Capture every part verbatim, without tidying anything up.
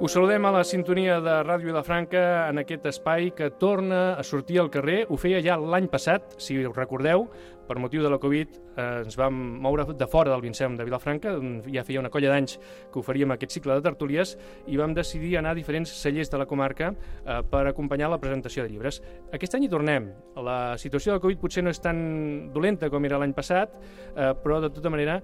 Us saludem a la sintonia de Ràdio Vilafranca en aquest espai que torna a sortir al carrer. Ho feia ja l'any passat, si us recordeu, per motiu de la Covid eh, ens vam moure de fora del Vincent de Vilafranca, on ja feia una colla d'anys que oferíem aquest cicle de tertúlies, i vam decidir anar a diferents cellers de la comarca eh, per acompanyar la presentació de llibres. Aquest any hi tornem. La situació de la Covid potser no és tan dolenta com era l'any passat, eh, però de tota manera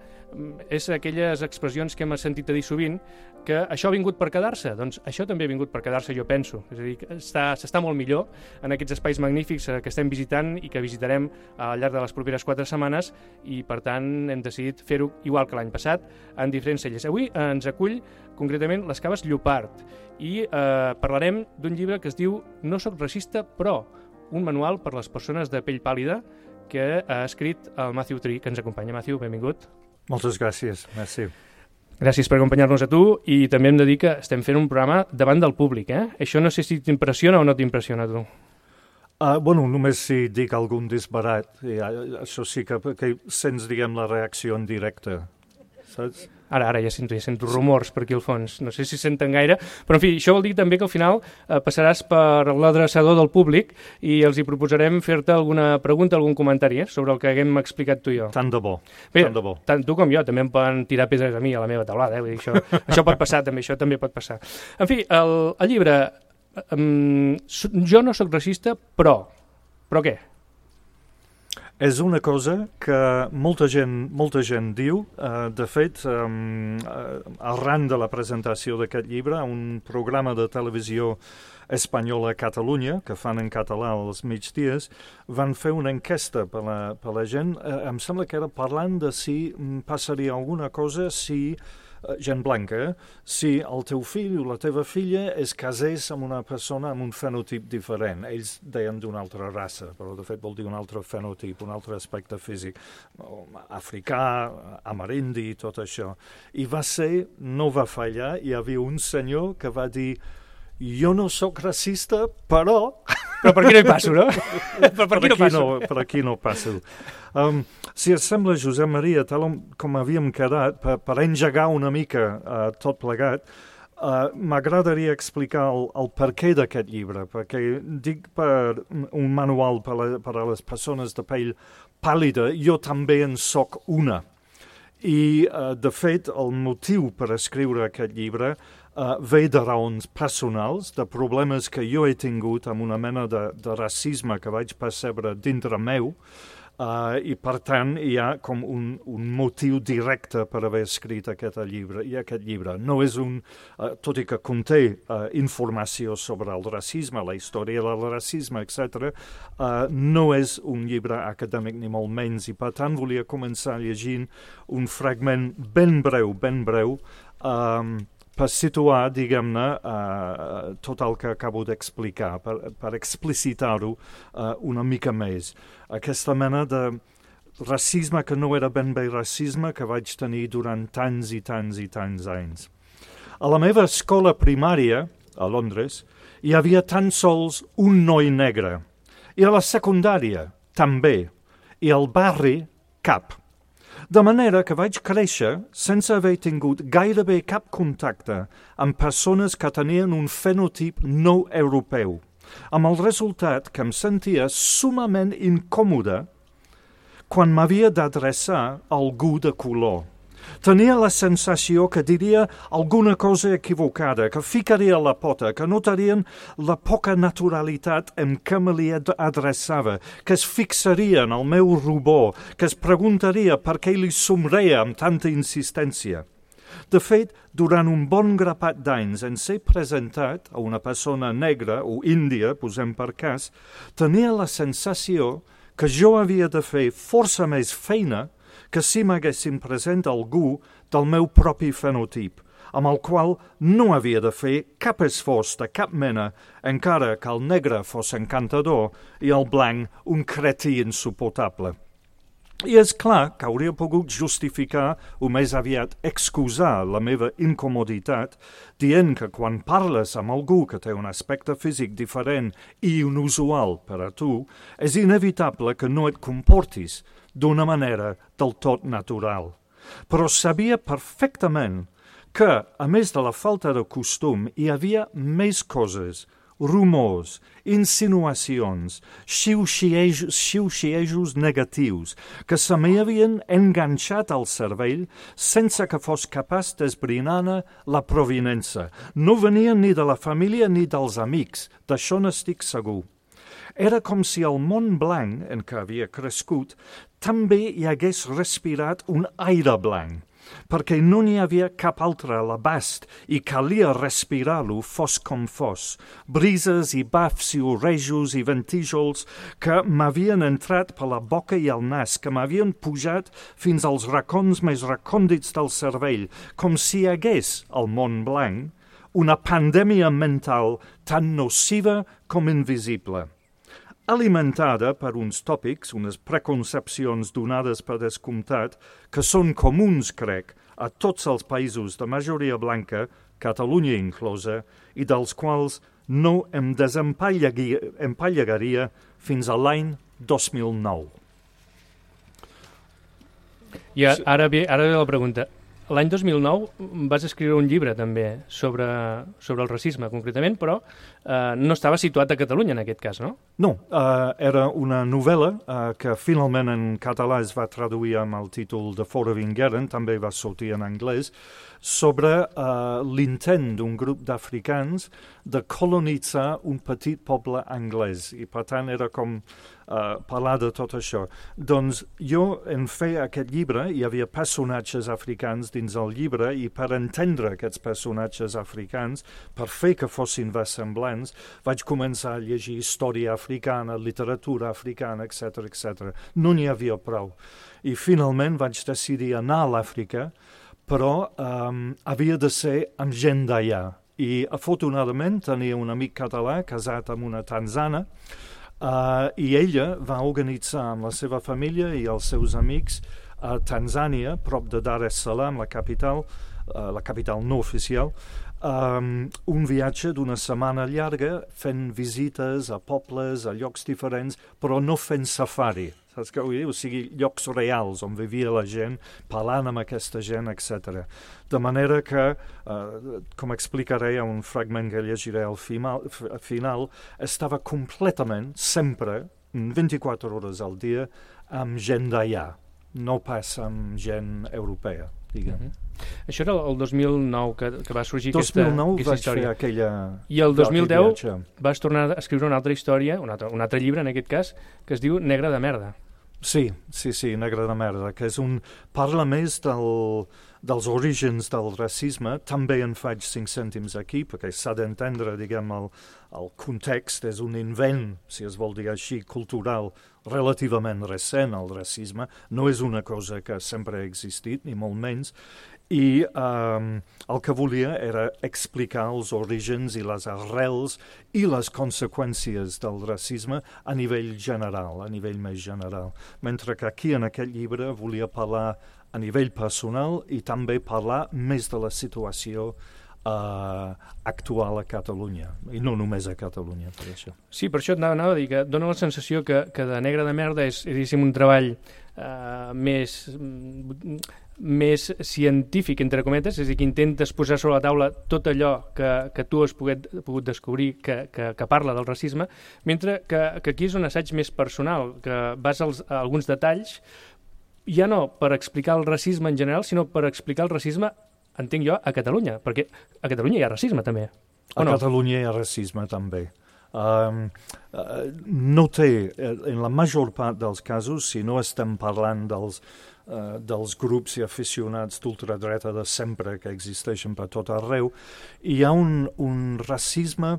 és aquelles expressions que hem sentit a dir sovint, que això ha vingut per quedar-se. Doncs això també ha vingut per quedar-se, jo penso. És a dir, s'està molt millor en aquests espais magnífics que estem visitant i que visitarem al llarg de les properes quatre setmanes, i per tant hem decidit fer-ho igual que l'any passat en diferents cellers. Avui ens acull concretament les Caves Llopart i eh, parlarem d'un llibre que es diu No soc racista, però un manual per les persones de pell pàl·lida que ha escrit el Matthew Tree, que ens acompanya. Matthew, benvingut. Moltes gràcies, merci. Gràcies per acompanyar-nos a tu, i també hem de dir que estem fent un programa davant del públic, eh? Això no sé si t'impressiona o no t'impressiona a tu. Uh, bueno, només si dic algun disbarat, i, uh, això sí que, que sents, diguem, la reacció en directe, saps? Ara, ara ja sento, ja sento rumors per aquí al fons, no sé si senten gaire, però en fi, això vol dir també que al final eh, passaràs per l'adreçador del públic i els hi proposarem fer-te alguna pregunta, algun comentari eh, sobre el que haguem explicat tu i jo. Tant de bo, Bé, tant de bo. Tant tu com jo, també em poden tirar pedres a mi a la meva taulada, eh? Vull dir, això, això pot passar també, això també pot passar. En fi, el, el llibre, um, jo no sóc racista, però, però què? És una cosa que molta gent, molta gent diu. Uh, de fet, um, uh, arran de la presentació d'aquest llibre, un programa de televisió espanyola a Catalunya, que fan en català als migdies, van fer una enquesta per la, per la gent. Uh, em sembla que era parlant de si passaria alguna cosa si gent blanca, eh? Si el teu fill o la teva filla es casés amb una persona amb un fenotip diferent. Ells deien d'una altra raça, però de fet vol dir un altre fenotip, un altre aspecte físic, africà, amerindi, tot això. I va ser, no va fallar, hi havia un senyor que va dir: jo no sóc racista, però... Però per aquí no hi passo, no? Però per aquí no passo. No, per aquí no passo. Um, si et sembla, Josep Maria, tal com havíem quedat, per, per engegar una mica uh, tot plegat, uh, m'agradaria explicar el, el perquè d'aquest llibre, perquè dic per un manual per, la, per a les persones de pell pàl·lida, jo també en soc una. I, uh, de fet, el motiu per escriure aquest llibre Uh, ve de raons personals, de problemes que jo he tingut amb una mena de, de racisme que vaig percebre dintre meu, uh, i per tant hi ha com un, un motiu directe per haver escrit aquest llibre. I aquest llibre no és un, uh, tot i que conté uh, informació sobre el racisme, la història del racisme, etcètera, uh, no és un llibre acadèmic ni molt menys, i per tant volia començar llegint un fragment ben breu, ben breu, um, per situar, diguem-ne, uh, tot el que acabo d'explicar, per, per explicitar-ho uh, una mica més. Aquesta mena de racisme que no era ben bé racisme que vaig tenir durant tants i tants i tants anys. A la meva escola primària, a Londres, hi havia tan sols un noi negre. I a la secundària, també. I al barri, cap. De manera que vaig créixer sense haver tingut gairebé cap contacte amb persones que tenien un fenotip no europeu, amb el resultat que em sentia sumament incòmode quan m'havia d'adreçar a algú de color. Tenia la sensació que diria alguna cosa equivocada, que ficaria la pota, que notarien la poca naturalitat en què me li adreçava, que es fixaria en el meu rubor, que es preguntaria per què li somreia amb tanta insistència. De fet, durant un bon grapat d'anys en ser presentat a una persona negra o índia, posem per cas, tenia la sensació que jo havia de fer força més feina que si m'haguessin present algú del meu propi fenotip, amb el qual no havia de fer cap esforç de cap mena, encara que el negre fos encantador i el blanc un cretí insuportable. I és clar que hauria pogut justificar o més aviat excusar la meva incomoditat dient que quan parles amb algú que té un aspecte físic diferent i inusual per a tu, és inevitable que no et comportis d'una manera del tot natural. Però sabia perfectament que, a més de la falta de costum, hi havia més coses, rumors, insinuacions, xiu-xiejos, xiu-xiejos negatius que se m'hi havien enganxat al cervell sense que fos capaç d'esbrinar-ne la provinença. No venien ni de la família ni dels amics, d'això n'estic segur. Era com si el món blanc en què havia crescut també hi hagués respirat un aire blanc, perquè no n'hi havia cap altre a l'abast i calia respirar-lo fos com fos. Brises i bafs i orejos i ventíjols que m'havien entrat per la boca i el nas, que m'havien pujat fins als racons més recòndits del cervell, com si hi hagués al món blanc una pandèmia mental tan nociva com invisible, alimentada per uns tòpics, unes preconcepcions donades per descomptat, que són comuns, crec, a tots els països de majoria blanca, Catalunya inclosa, i dels quals no em desempallegaria fins a l'any dos mil nou. I ara ve, ara ve la pregunta. L'any dos mil nou vas escriure un llibre també sobre, sobre el racisme concretament, però eh, no estava situat a Catalunya en aquest cas, no? No, eh, era una novel·la eh, que finalment en català es va traduir amb el títol de Fora Vingueren, també va sortir en anglès, sobre eh, l'intent d'un grup d'africans de colonitzar un petit poble anglès, i per tant era com Uh, parlar de tot això. Doncs jo, en fer aquest llibre, hi havia personatges africans dins el llibre i per entendre aquests personatges africans, per fer que fossin versemblants, vaig començar a llegir història africana, literatura africana, etcètera, etcètera. No n'hi havia prou. I finalment vaig decidir anar a l'Àfrica, però um, havia de ser amb gent d'allà. I afortunadament tenia un amic català casat amb una tanzana, Uh, i ella va organitzar amb la seva família i els seus amics a Tanzània, prop de Dar es Salaam, la capital, uh, la capital no oficial, um, un viatge d'una setmana llarga fent visites a pobles, a llocs diferents, però no fent safari. Saps què vull dir? O sigui, llocs reals on vivia la gent, parlant amb aquesta gent, etcètera. De manera que, eh, com explicaré a un fragment que llegiré al final, final, estava completament, sempre, vint-i-quatre hores al dia, amb gent d'allà, no pas amb gent europea, diguem. Mm-hmm. Això era el dos mil nou que, que va sorgir dos mil nou aquesta, aquesta història. Vaig fer aquella... I el dos mil deu vas tornar a escriure una altra història, un altre, un altre llibre en aquest cas, que es diu Negre de merda. Sí, sí, sí, Negre de merda, que és un... parla més del, dels orígens del racisme. També en faig cinc cèntims aquí, perquè s'ha d'entendre, diguem, el, el context. És un invent, si es vol dir així, cultural, relativament recent, el racisme. No és una cosa que sempre ha existit, ni molt menys. I um, el que volia era explicar els orígens i les arrels i les conseqüències del racisme a nivell general, a nivell més general. Mentre que aquí, en aquest llibre, volia parlar a nivell personal i també parlar més de la situació uh, actual a Catalunya, i no només a Catalunya, per això. Sí, per això anava a dir que dona la sensació que, que de Negre de merda és, és un treball uh, més... més científic, entre cometes, és a dir, que intentes posar sobre la taula tot allò que, que tu has pogut, pogut descobrir que, que, que parla del racisme, mentre que, que aquí és un assaig més personal, que vas als, a alguns detalls, ja no per explicar el racisme en general, sinó per explicar el racisme, entenc jo, a Catalunya, perquè a Catalunya hi ha racisme també. A no? Catalunya hi ha racisme també. Um, uh, no té, en la major part dels casos, si no estem parlant dels Uh, dels grups i aficionats d'ultradreta de sempre que existeixen per tot arreu, hi ha un, un racisme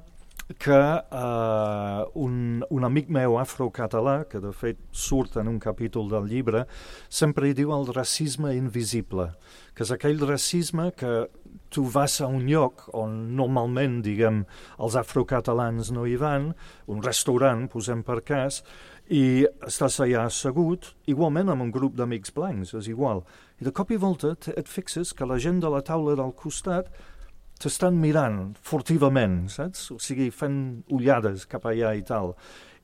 que uh, un, un amic meu afrocatalà, que de fet surt en un capítol del llibre, sempre hi diu el racisme invisible, que és aquell racisme que tu vas a un lloc on normalment, diguem, els afrocatalans no hi van, un restaurant, posem per cas, i estàs allà assegut, igualment amb un grup d'amics blancs, és igual. I de cop i volta et fixes que la gent de la taula del costat t'estan mirant furtivament, saps? O sigui, fent ullades cap allà i tal.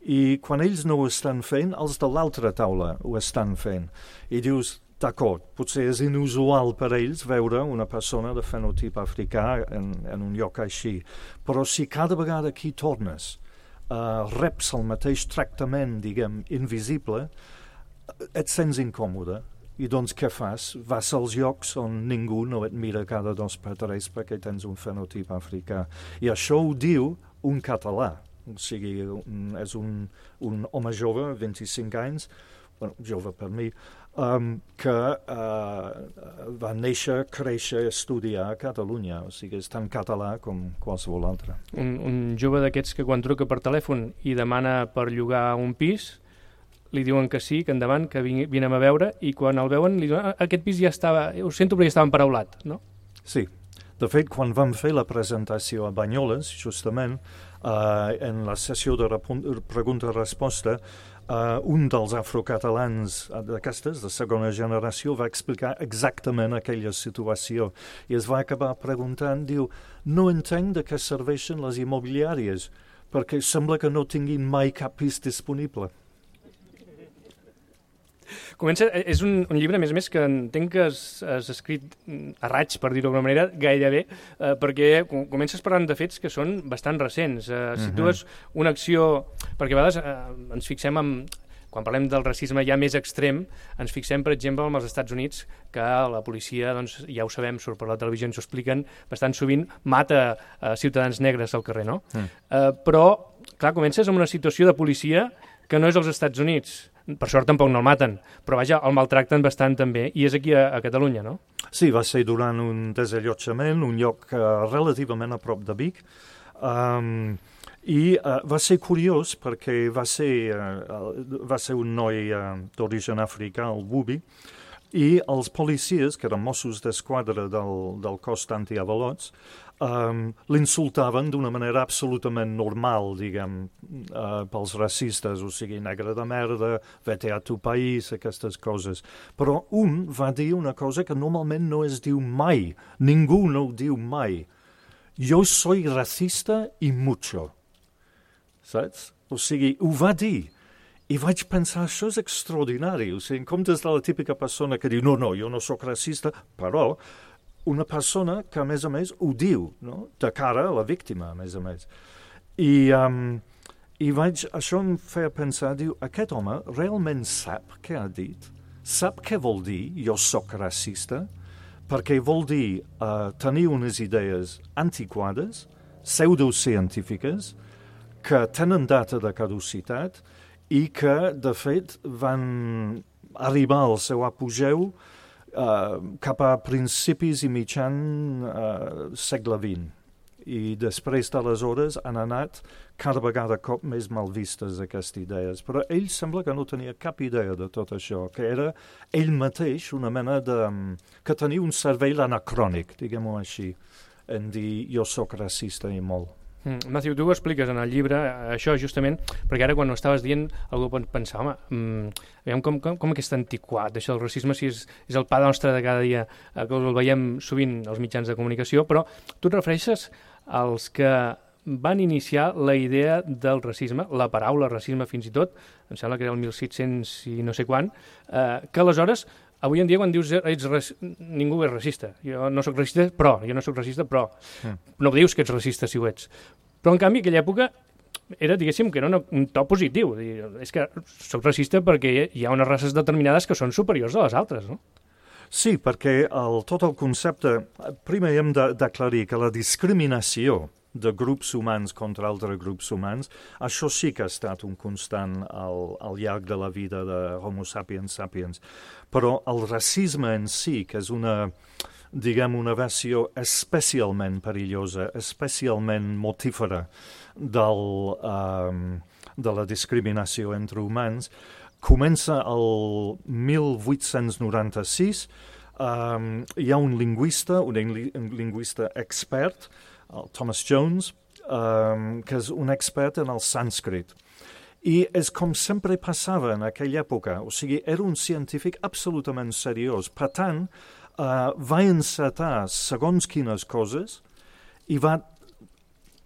I quan ells no ho estan fent, els de l'altra taula ho estan fent. I dius, d'acord, potser és inusual per ells veure una persona de fenotip africà en, en un lloc així, però si cada vegada que hi tornes uh, reps el mateix tractament, diguem, invisible, et sents incòmode. I doncs què fas? Vas als llocs on ningú no et mira cada dos per tres perquè tens un fenotip africà. I això ho diu un català. O sigui, un, és un, un home jove, vint-i-cinc anys, bueno, jove per mi, um, que uh, va néixer, créixer, estudiar a Catalunya. O sigui, és tan català com qualsevol altre. Un, un jove d'aquests que quan truca per telèfon i demana per llogar un pis, li diuen que sí, que endavant, que vinem a veure, i quan el veuen li diuen, aquest pis ja estava, ho sento perquè estava emparaulat, no? Sí. De fet, quan vam fer la presentació a Banyoles, justament, uh, en la sessió de pregunta-resposta, uh, un dels afrocatalans d'aquestes, de segona generació, va explicar exactament aquella situació i es va acabar preguntant, diu, no entenc de què serveixen les immobiliàries, perquè sembla que no tinguin mai cap pis disponible. Comença, és un, un llibre, a més a més, que entenc que has, has escrit a raig, per dir-ho d'alguna manera, gairebé, eh, perquè comences parlant de fets que són bastant recents. Eh, uh-huh. Situes una acció... Perquè a vegades eh, ens fixem en... Quan parlem del racisme ja més extrem, ens fixem, per exemple, en els Estats Units, que la policia, doncs, ja ho sabem, surt per la televisió, ens ho expliquen, bastant sovint mata eh, ciutadans negres al carrer, no? Mm. Eh, però, clar, comences amb una situació de policia que no és als Estats Units. Per sort tampoc no el maten, però vaja, el maltracten bastant també, i és aquí a, a Catalunya, no? Sí, va ser durant un desallotjament, un lloc uh, relativament a prop de Vic, um, i uh, va ser curiós perquè va ser, uh, va ser un noi uh, d'origen africà, el Bubi, i els policies, que eren Mossos d'Esquadra del, del cos d'antiavalots, um, l'insultaven d'una manera absolutament normal, diguem, uh, pels racistes, o sigui, negre de merda, vete a tu país, aquestes coses. Però un va dir una cosa que normalment no es diu mai, ningú no ho diu mai. Jo soy racista i mucho. Saps? O sigui, ho va dir. I vaig pensar, això és extraordinari. O sigui, en comptes de la típica persona que diu, no, no, jo no sóc racista, però una persona que, a més a més, ho diu, no? De cara a la víctima, a més a més. I, um, i vaig, això em feia pensar, diu, aquest home realment sap què ha dit? Sap què vol dir jo sóc racista? Perquè vol dir uh, tenir unes idees antiquades, pseudocientífiques, que tenen data de caducitat, i que, de fet, van arribar al seu apogeu uh, cap a principis i mitjan uh, segle vint. I després d'aleshores han anat cada vegada cop més mal vistes aquestes idees. Però ell sembla que no tenia cap idea de tot això, que era ell mateix una mena de... que tenia un cervell anacrònic, diguem-ho així, en dir jo sóc racista i molt. Mm, Matthew, tu ho expliques en el llibre, això justament, perquè ara quan ho estaves dient algú pot pensar, home, mm, veiem com, com, com aquest antiquat, això del racisme, si és, és el pa nostre de cada dia, eh, que el veiem sovint als mitjans de comunicació, però tu et refereixes als que van iniciar la idea del racisme, la paraula racisme fins i tot, em sembla que era el mil set-cents i no sé quan, eh, que aleshores, avui en dia quan dius ets rac... ningú és racista, jo no sóc racista, però, jo no sóc racista, però, mm. no dius que ets racista si ho ets. Però en canvi aquella època era, diguéssim, que era una, un to positiu, és que sóc racista perquè hi ha unes races determinades que són superiors a les altres, no? Sí, perquè el, tot el concepte, primer hem d'aclarir que la discriminació de grups humans contra altres grups humans, això sí que ha estat un constant al, al llarg de la vida de Homo sapiens sapiens. Però el racisme en si, que és una, diguem, una versió especialment perillosa, especialment mortífera del, um, de la discriminació entre humans, comença el mil vuit-cents noranta-sis, um, hi ha un lingüista, un, un lingüista expert, el Thomas Jones, um, que és un expert en el sànscrit. I és com sempre passava en aquella època, o sigui, era un científic absolutament seriós. Per tant, uh, va encetar segons quines coses i va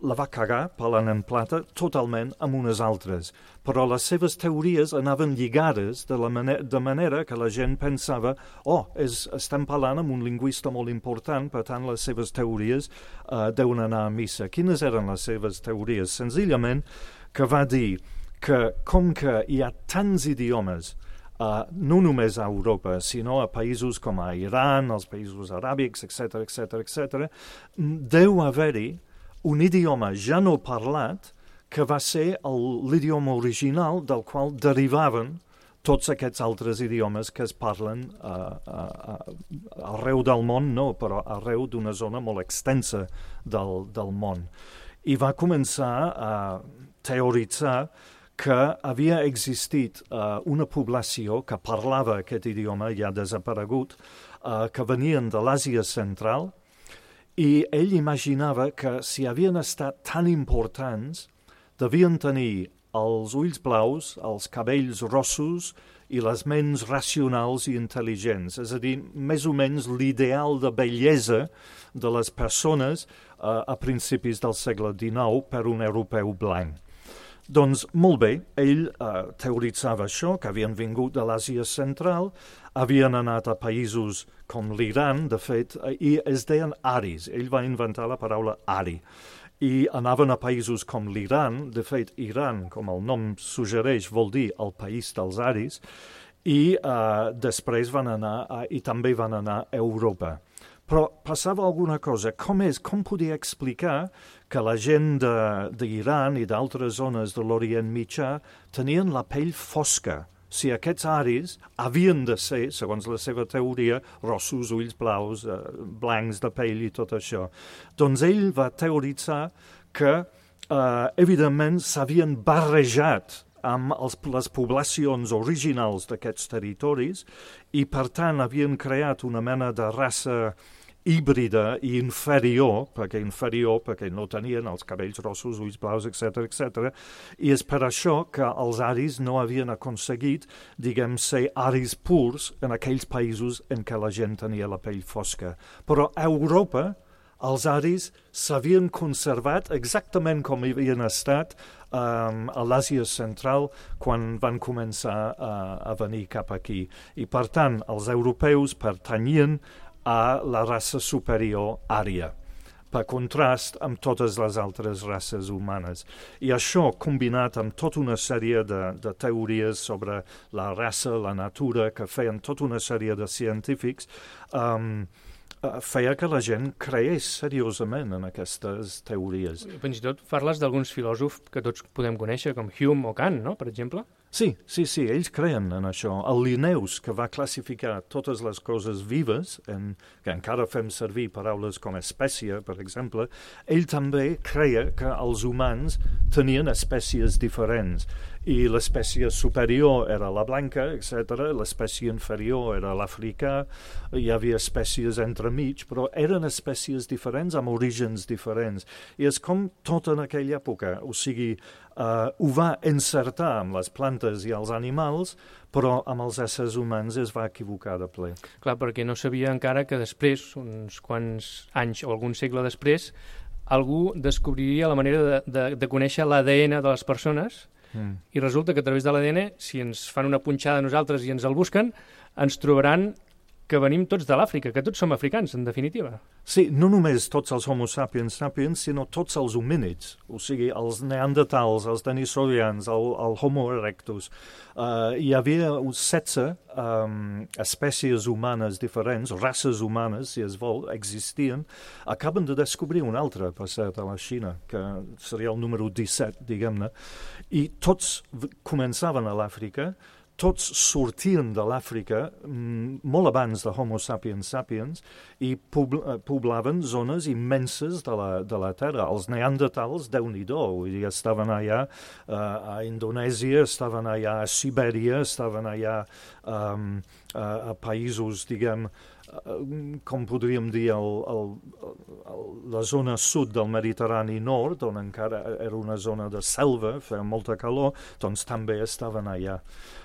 la va cagar, parlant en plata, totalment amb unes altres. Però les seves teories anaven lligades de, la manera, de manera que la gent pensava oh, és, estem parlant amb un lingüista molt important, per tant les seves teories uh, deuen anar a missa. Quines eren les seves teories? Senzillament que va dir que com que hi ha tants idiomes Uh, no només a Europa, sinó a països com a Iran, els països aràbics, etcètera, etcètera, etcètera, deu haver-hi un idioma ja no parlat que va ser l'idioma original del qual derivaven tots aquests altres idiomes que es parlen uh, uh, uh, arreu del món, no, però arreu d'una zona molt extensa del, del món. I va començar a teoritzar que havia existit uh, una població que parlava aquest idioma ja desaparegut, uh, que venien de l'Àsia central, i ell imaginava que si havien estat tan importants, devien tenir els ulls blaus, els cabells rossos i les ments racionals i intel·ligents, és a dir, més o menys l'ideal de bellesa de les persones uh, a principis del segle dinou per un europeu blanc. Doncs molt bé, ell eh, teoritzava això, que havien vingut de l'Àsia central, havien anat a països com l'Iran, de fet, eh, i es deien aris. Ell va inventar la paraula ari. I anaven a països com l'Iran, de fet, Iran, com el nom suggereix, vol dir el país dels aris, i eh, després van anar, a, i també van anar a Europa. Però passava alguna cosa. Com és, com podia explicar que la gent d'Iran i d'altres zones de l'Orient Mitjà tenien la pell fosca? Si aquests aris havien de ser, segons la seva teoria, rossos, ulls blaus, eh, blancs de pell i tot això. Doncs ell va teoritzar que, eh, evidentment, s'havien barrejat amb els, les poblacions originals d'aquests territoris i, per tant, havien creat una mena de raça híbrida i inferior, perquè inferior perquè no tenien els cabells rossos, ulls blaus, etcètera, etcètera, i és per això que els aris no havien aconseguit, diguem, ser aris purs en aquells països en què la gent tenia la pell fosca. Però a Europa els aris s'havien conservat exactament com havien estat um, a l'Àsia central quan van començar uh, a venir cap aquí. I, per tant, els europeus pertanyien a la raça superior ària, per contrast amb totes les altres races humanes. I això, combinat amb tota una sèrie de, de teories sobre la raça, la natura, que feien tota una sèrie de científics, um, feia que la gent creés seriosament en aquestes teories. Fins i tot parles d'alguns filòsofs que tots podem conèixer, com Hume o Kant, no?, per exemple? Sí, sí, sí, ells creien en això. El Linnaeus, que va classificar totes les coses vives, en, que encara fem servir paraules com espècie, per exemple, ell també creia que els humans tenien espècies diferents, i l'espècie superior era la blanca, etcètera, l'espècie inferior era l'africà, hi havia espècies entremig, però eren espècies diferents amb orígens diferents. I és com tot en aquella època, o sigui, Uh, ho va encertar amb les plantes i els animals, però amb els éssers humans es va equivocar de ple. Clar, perquè no sabia encara que després, uns quants anys o algun segle després, algú descobriria la manera de, de, de conèixer l'A D N de les persones, mm. i resulta que a través de l'A D N, si ens fan una punxada a nosaltres i ens el busquen, ens trobaran que venim tots de l'Àfrica, que tots som africans, en definitiva. Sí, no només tots els homo sapiens sapiens, sinó tots els homínids, o sigui, els neandertals, els denisorians, el, el homo erectus. Uh, hi havia uns setze um, espècies humanes diferents, races humanes, si es vol, existien. Acaben de descobrir un altre, per cert, a la Xina, que seria el número disset, diguem-ne, i tots començaven a l'Àfrica, tots sortien de l'Àfrica mm, molt abans de Homo sapiens sapiens i poblaven zones immenses de la, de la Terra. Els neandertals, Déu-n'hi-do, vull dir, estaven allà uh, a Indonèsia, estaven allà a Sibèria, estaven allà um, a, a països, diguem, uh, com podríem dir, el, el, el, la zona sud del Mediterrani nord, on encara era una zona de selva, feia molta calor, doncs també estaven allà.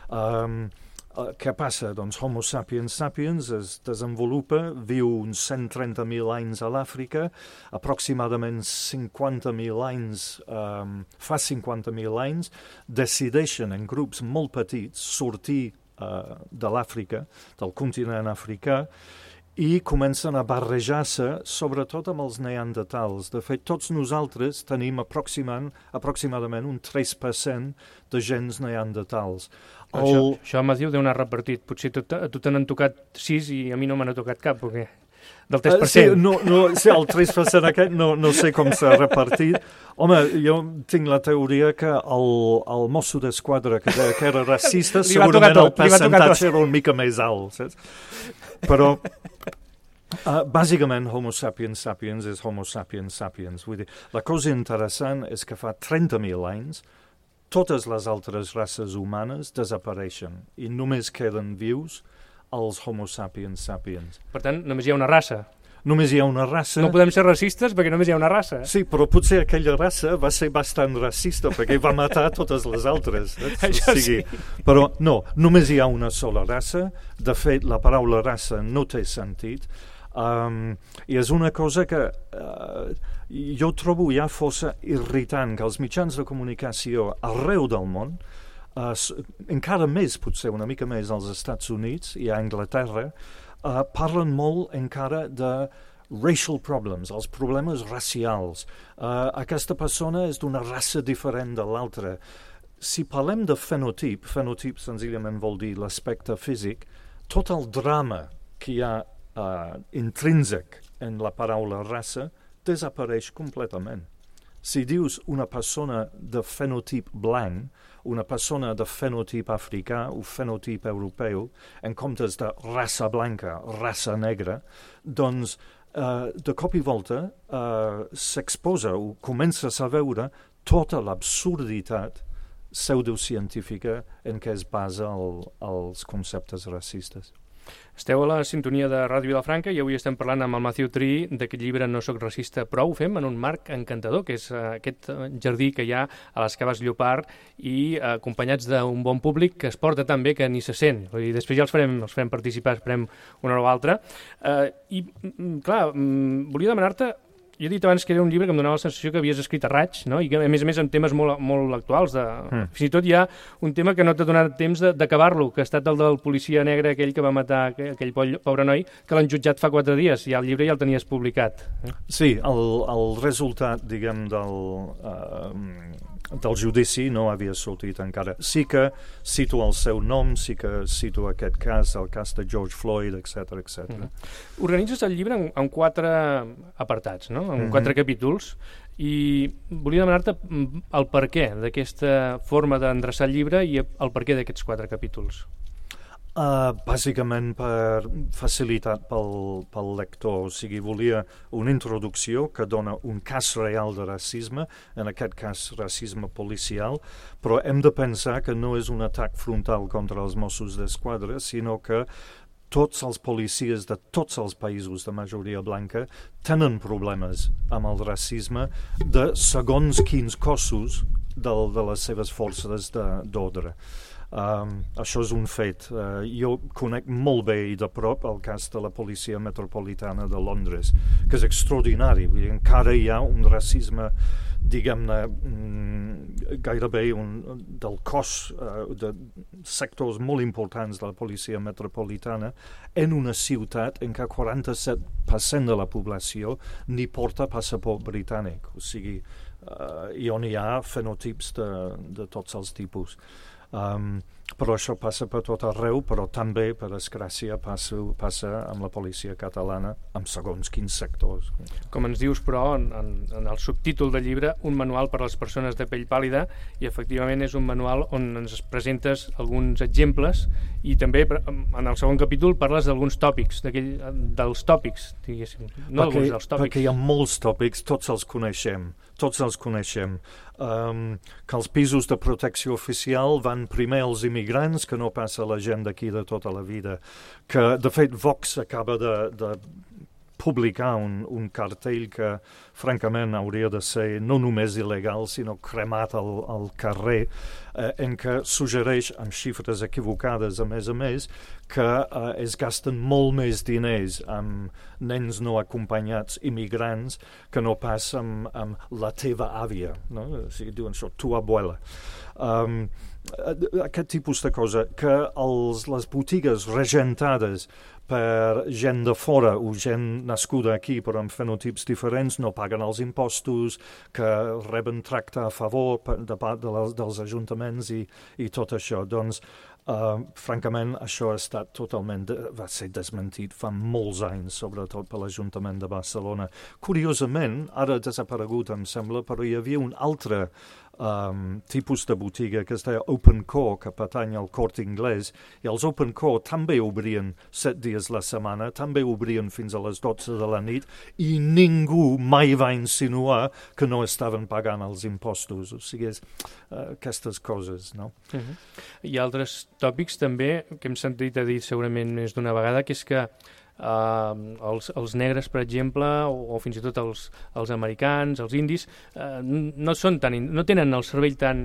Um, Uh, què passa? Doncs Homo sapiens sapiens es desenvolupa, viu uns cent trenta mil anys a l'Àfrica, aproximadament cinquanta mil anys, um, fa cinquanta mil anys, decideixen en grups molt petits sortir uh, de l'Àfrica, del continent africà, i comencen a barrejar-se, sobretot amb els neandertals. De fet, tots nosaltres tenim aproximadament un tres per cent de gens neandertals. El... Això, això Mathieu deu anar repartit. Potser a tu te n'han tocat sis i a mi no me n'ha tocat cap, perquè del tres per cent. Uh, sí, no, no, sí, el tres per cent aquest no, no sé com s'ha repartit. Home, jo tinc la teoria que el, el mosso d'esquadra que, que era racista, segurament el percentatge era una mica més alt, saps? Però... Uh, bàsicament, Homo sapiens sapiens és Homo sapiens sapiens. Vull dir, la cosa interessant és que fa trenta mil anys totes les altres races humanes desapareixen i només queden vius els Homo sapiens sapiens. Per tant, només hi ha una raça. Només hi ha una raça... No podem ser racistes perquè només hi ha una raça. Sí, però potser aquella raça va ser bastant racista perquè va matar totes les altres. Eh? Això o sigui, sí. Però no, només hi ha una sola raça. De fet, la paraula raça no té sentit. Um, I és una cosa que uh, jo trobo ja força irritant que els mitjans de comunicació arreu del món, uh, encara més, potser una mica més als Estats Units i a Anglaterra, uh, parlen molt encara de racial problems, els problemes racials. Uh, aquesta persona és d'una raça diferent de l'altra. Si parlem de fenotip, fenotip senzillament vol dir l'aspecte físic, tot el drama que hi ha Uh, intrínsec en la paraula raça desapareix completament. Si dius una persona de fenotip blanc, una persona de fenotip africà o fenotip europeu, en comptes de raça blanca, raça negra, doncs uh, de cop i volta uh, s'exposa o comences a veure tota l'absurditat pseudocientífica en què es basa el, els conceptes racistes. Esteu a la sintonia de Ràdio Vilafranca i avui estem parlant amb el Mathieu Trí d'aquest llibre No soc racista, però ho fem en un marc encantador, que és uh, aquest jardí que hi ha a les Caves Llopart i uh, acompanyats d'un bon públic que es porta tan bé que ni se sent. Vull dir, després ja els farem, els farem participar, esperem una o altra. Uh, I, clar, volia demanar-te... Jo he dit abans que era un llibre que em donava la sensació que havies escrit a raig, no? I que, a més a més, en temes molt, molt actuals. De... Mm. Fins i tot hi ha un tema que no t'ha donat temps d'acabar-lo, que ha estat el del policia negre, aquell que va matar aquell pobre noi, que l'han jutjat fa quatre dies, i el llibre ja el tenies publicat. Eh? Sí, el, el resultat, diguem, del... Uh, del judici no havia sortit encara. Sí que cito el seu nom, sí que cito aquest cas, el cas de George Floyd, etcètera, etcètera. Mm-hmm. Organitzes el llibre en, en quatre apartats, no? En mm-hmm. quatre capítols, i volia demanar-te el perquè d'aquesta forma d'endreçar el llibre i el perquè d'aquests quatre capítols. Uh, bàsicament per facilitat pel, pel lector, o sigui, volia una introducció que dona un cas real de racisme, en aquest cas racisme policial, però hem de pensar que no és un atac frontal contra els Mossos d'Esquadra, sinó que tots els policies de tots els països de majoria blanca tenen problemes amb el racisme de segons quins cossos del, de les seves forces d'ordre. Um, això és un fet. Uh, jo conec molt bé i de prop el cas de la policia metropolitana de Londres, que és extraordinari. Vull dir, encara hi ha un racisme, diguem-ne, mm, gairebé un, del cos uh, de sectors molt importants de la policia metropolitana en una ciutat en què quaranta-set per cent de la població ni porta passaport britànic. O sigui, uh, i on hi ha fenotips de, de tots els tipus. Um, però això passa per tot arreu, però també, per desgràcia, passa, passa amb la policia catalana amb segons quins sectors. Com ens dius, però, en, en el subtítol del llibre, un manual per a les persones de pell pàl·lida, i efectivament és un manual on ens presentes alguns exemples i també en el segon capítol parles d'alguns tòpics, dels tòpics, diguéssim, no perquè, alguns dels tòpics. Perquè hi ha molts tòpics, tots els coneixem, tots els coneixem. Um, que els pisos de protecció oficial van primer als immigrants, que no passa a la gent d'aquí de tota la vida, que de fet Vox acaba de, de publicar un, un cartell que, francament, hauria de ser no només il·legal, sinó cremat al, al carrer, eh, en què suggereix, amb xifres equivocades, a més a més, que eh, es gasten molt més diners amb nens no acompanyats immigrants que no pas amb, amb la teva àvia, no? O sigui, diuen això, tu abuela. Um, aquest tipus de cosa, que els, les botigues regentades per gent de fora o gent nascuda aquí però amb fenotips diferents no paguen els impostos, que reben tracte a favor per, de part de les, dels ajuntaments i, i tot això. Doncs, uh, francament, això ha estat totalment, de, va ser desmentit fa molts anys, sobretot per l'Ajuntament de Barcelona. Curiosament, ara ha desaparegut, em sembla, però hi havia un altre Um, tipus de botiga que es deia Open Core, que pertany al Corte Inglés, i els Open Core també obrien set dies la setmana, també obrien fins a les dotze de la nit, i ningú mai va insinuar que no estaven pagant els impostos. O sigui, és, uh, aquestes coses, no? Uh-huh. Hi ha altres tòpics també que hem sentit a dir segurament més d'una vegada, que és que Uh, els, els negres, per exemple, o, o fins i tot els, els americans, els indis, uh, no, són tan, no tenen el cervell tan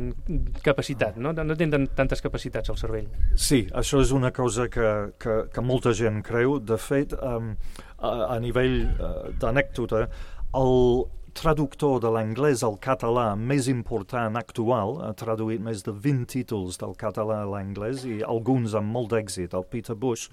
capacitat, no, no tenen tantes capacitats al cervell. Sí, això és una cosa que, que, que molta gent creu. De fet, um, a, a nivell uh, d'anècdota, el traductor de l'anglès al català més important actual, ha traduït més de vint títols del català a l'anglès i alguns amb molt d'èxit, el Peter Bush.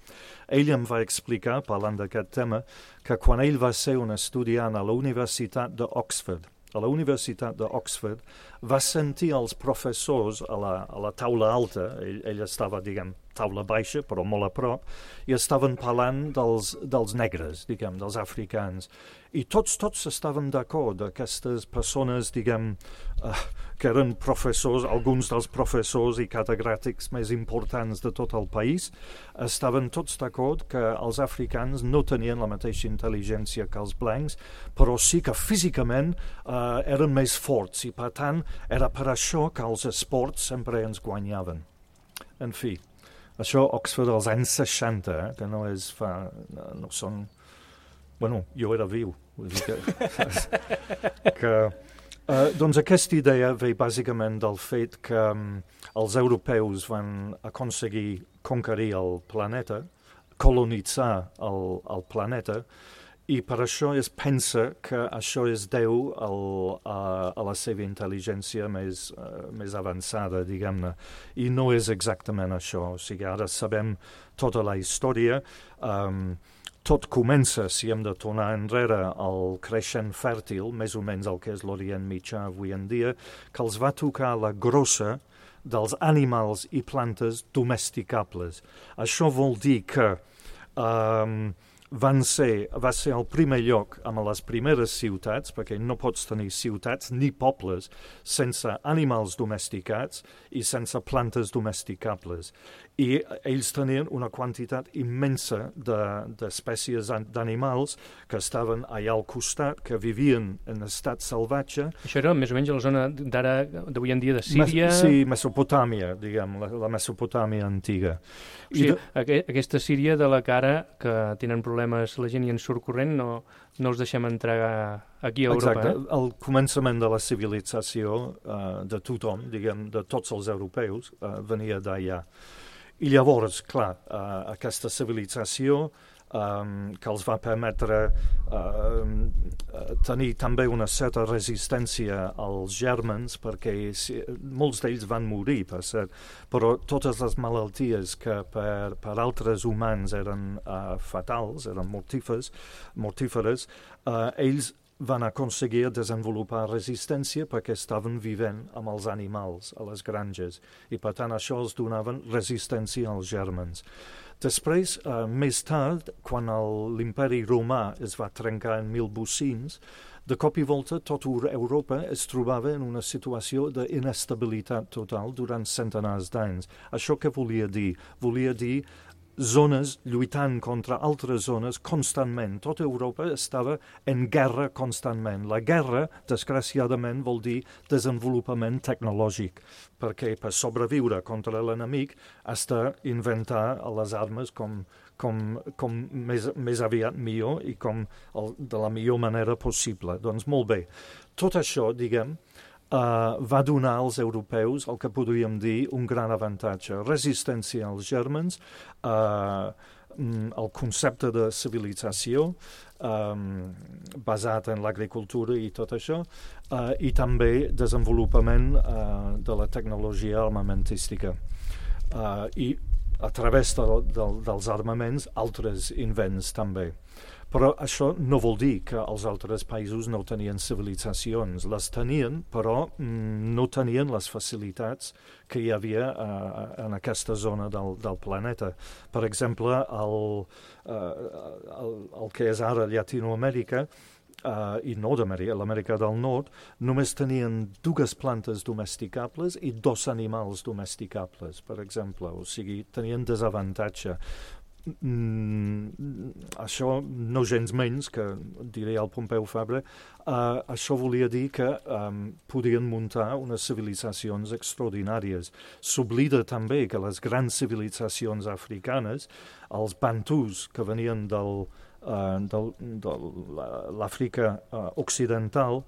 Ell em va explicar, parlant d'aquest tema, que quan ell va ser un estudiant a la Universitat d'Oxford, a la Universitat d'Oxford, va sentir els professors a la, a la taula alta, ell, ell estava, diguem, taula baixa, però molt a prop, i estaven parlant dels, dels negres, diguem, dels africans. I tots, tots estaven d'acord, d'aquestes persones, diguem, uh, que eren professors, alguns dels professors i catedràtics més importants de tot el país, estaven tots d'acord que els africans no tenien la mateixa intel·ligència que els blancs, però sí que físicament uh, eren més forts, i per tant era per això que els esports sempre ens guanyaven. En fi, això Oxford als anys seixanta, eh, que no és fa... no, no són... Bueno, jo era viu. Vull dir que... que uh, doncs aquesta idea ve bàsicament del fet que um, els europeus van aconseguir conquerir el planeta, colonitzar el, el planeta, i per això es pensa que això es deu al, a, a la seva intel·ligència més, uh, més avançada, diguem-ne. I no és exactament això. O sigui, ara sabem tota la història. Um, tot comença, si hem de tornar enrere, al creixent fèrtil, més o menys el que és l'Orient Mitjà avui en dia, que els va tocar la grossa dels animals i plantes domesticables. Això vol dir que... Um, Van ser, va ser el primer lloc amb les primeres ciutats, perquè no pots tenir ciutats ni pobles sense animals domesticats i sense plantes domesticables. I ells tenien una quantitat immensa d'espècies de, d'animals que estaven allà al costat, que vivien en estat salvatge. Això era més o menys a la zona d'ara, d'avui en dia, de Síria... Mes, sí, Mesopotàmia, diguem, la, la Mesopotàmia antiga. O sigui, de... aqu aquesta Síria de la cara, que tenen problemes la gent i en surt corrent, no, no els deixem entrar aquí a Europa. Exacte, eh? el començament de la civilització uh, de tothom, diguem, de tots els europeus, uh, venia d'allà. I llavors, clar, uh, aquesta civilització um, que els va permetre uh, tenir també una certa resistència als gèrmens, perquè si, molts d'ells van morir, per cert, però totes les malalties que per, per altres humans eren uh, fatals, eren mortíferes, mortíferes uh, ells van aconseguir desenvolupar resistència perquè estaven vivent amb els animals a les granges i per tant això els donaven resistència als gèrmens. Després, eh, més tard, quan l'imperi romà es va trencar en mil vuit-cents, de cop i volta tota Europa es trobava en una situació d'inestabilitat total durant centenars d'anys. Això què volia dir? Volia dir zones lluitant contra altres zones constantment. Tota Europa estava en guerra constantment. La guerra, desgraciadament, vol dir desenvolupament tecnològic, perquè per sobreviure contra l'enemic has d'inventar les armes com, com, com més, més aviat millor i com el, de la millor manera possible. Doncs molt bé. Tot això, diguem, Uh, va donar als europeus el que podríem dir un gran avantatge. Resistència als germans, uh, el concepte de civilització um, basat en l'agricultura i tot això, uh, i també desenvolupament uh, de la tecnologia armamentística. Uh, I a través de, de, dels armaments, altres invents també. Però això no vol dir que els altres països no tenien civilitzacions. Les tenien, però mm, no tenien les facilitats que hi havia uh, en aquesta zona del, del planeta. Per exemple, el, uh, el, el que és ara Llatinoamèrica, uh, i Nord-Amèrica, l'Amèrica del Nord, només tenien dues plantes domesticables i dos animals domesticables, per exemple. O sigui, tenien desavantatge. Mm, això no gens menys que diré al Pompeu Fabra, uh, això volia dir que um, podien muntar unes civilitzacions extraordinàries. S'oblida també que les grans civilitzacions africanes, els bantus que venien del, uh, del, de l'Àfrica uh, occidental,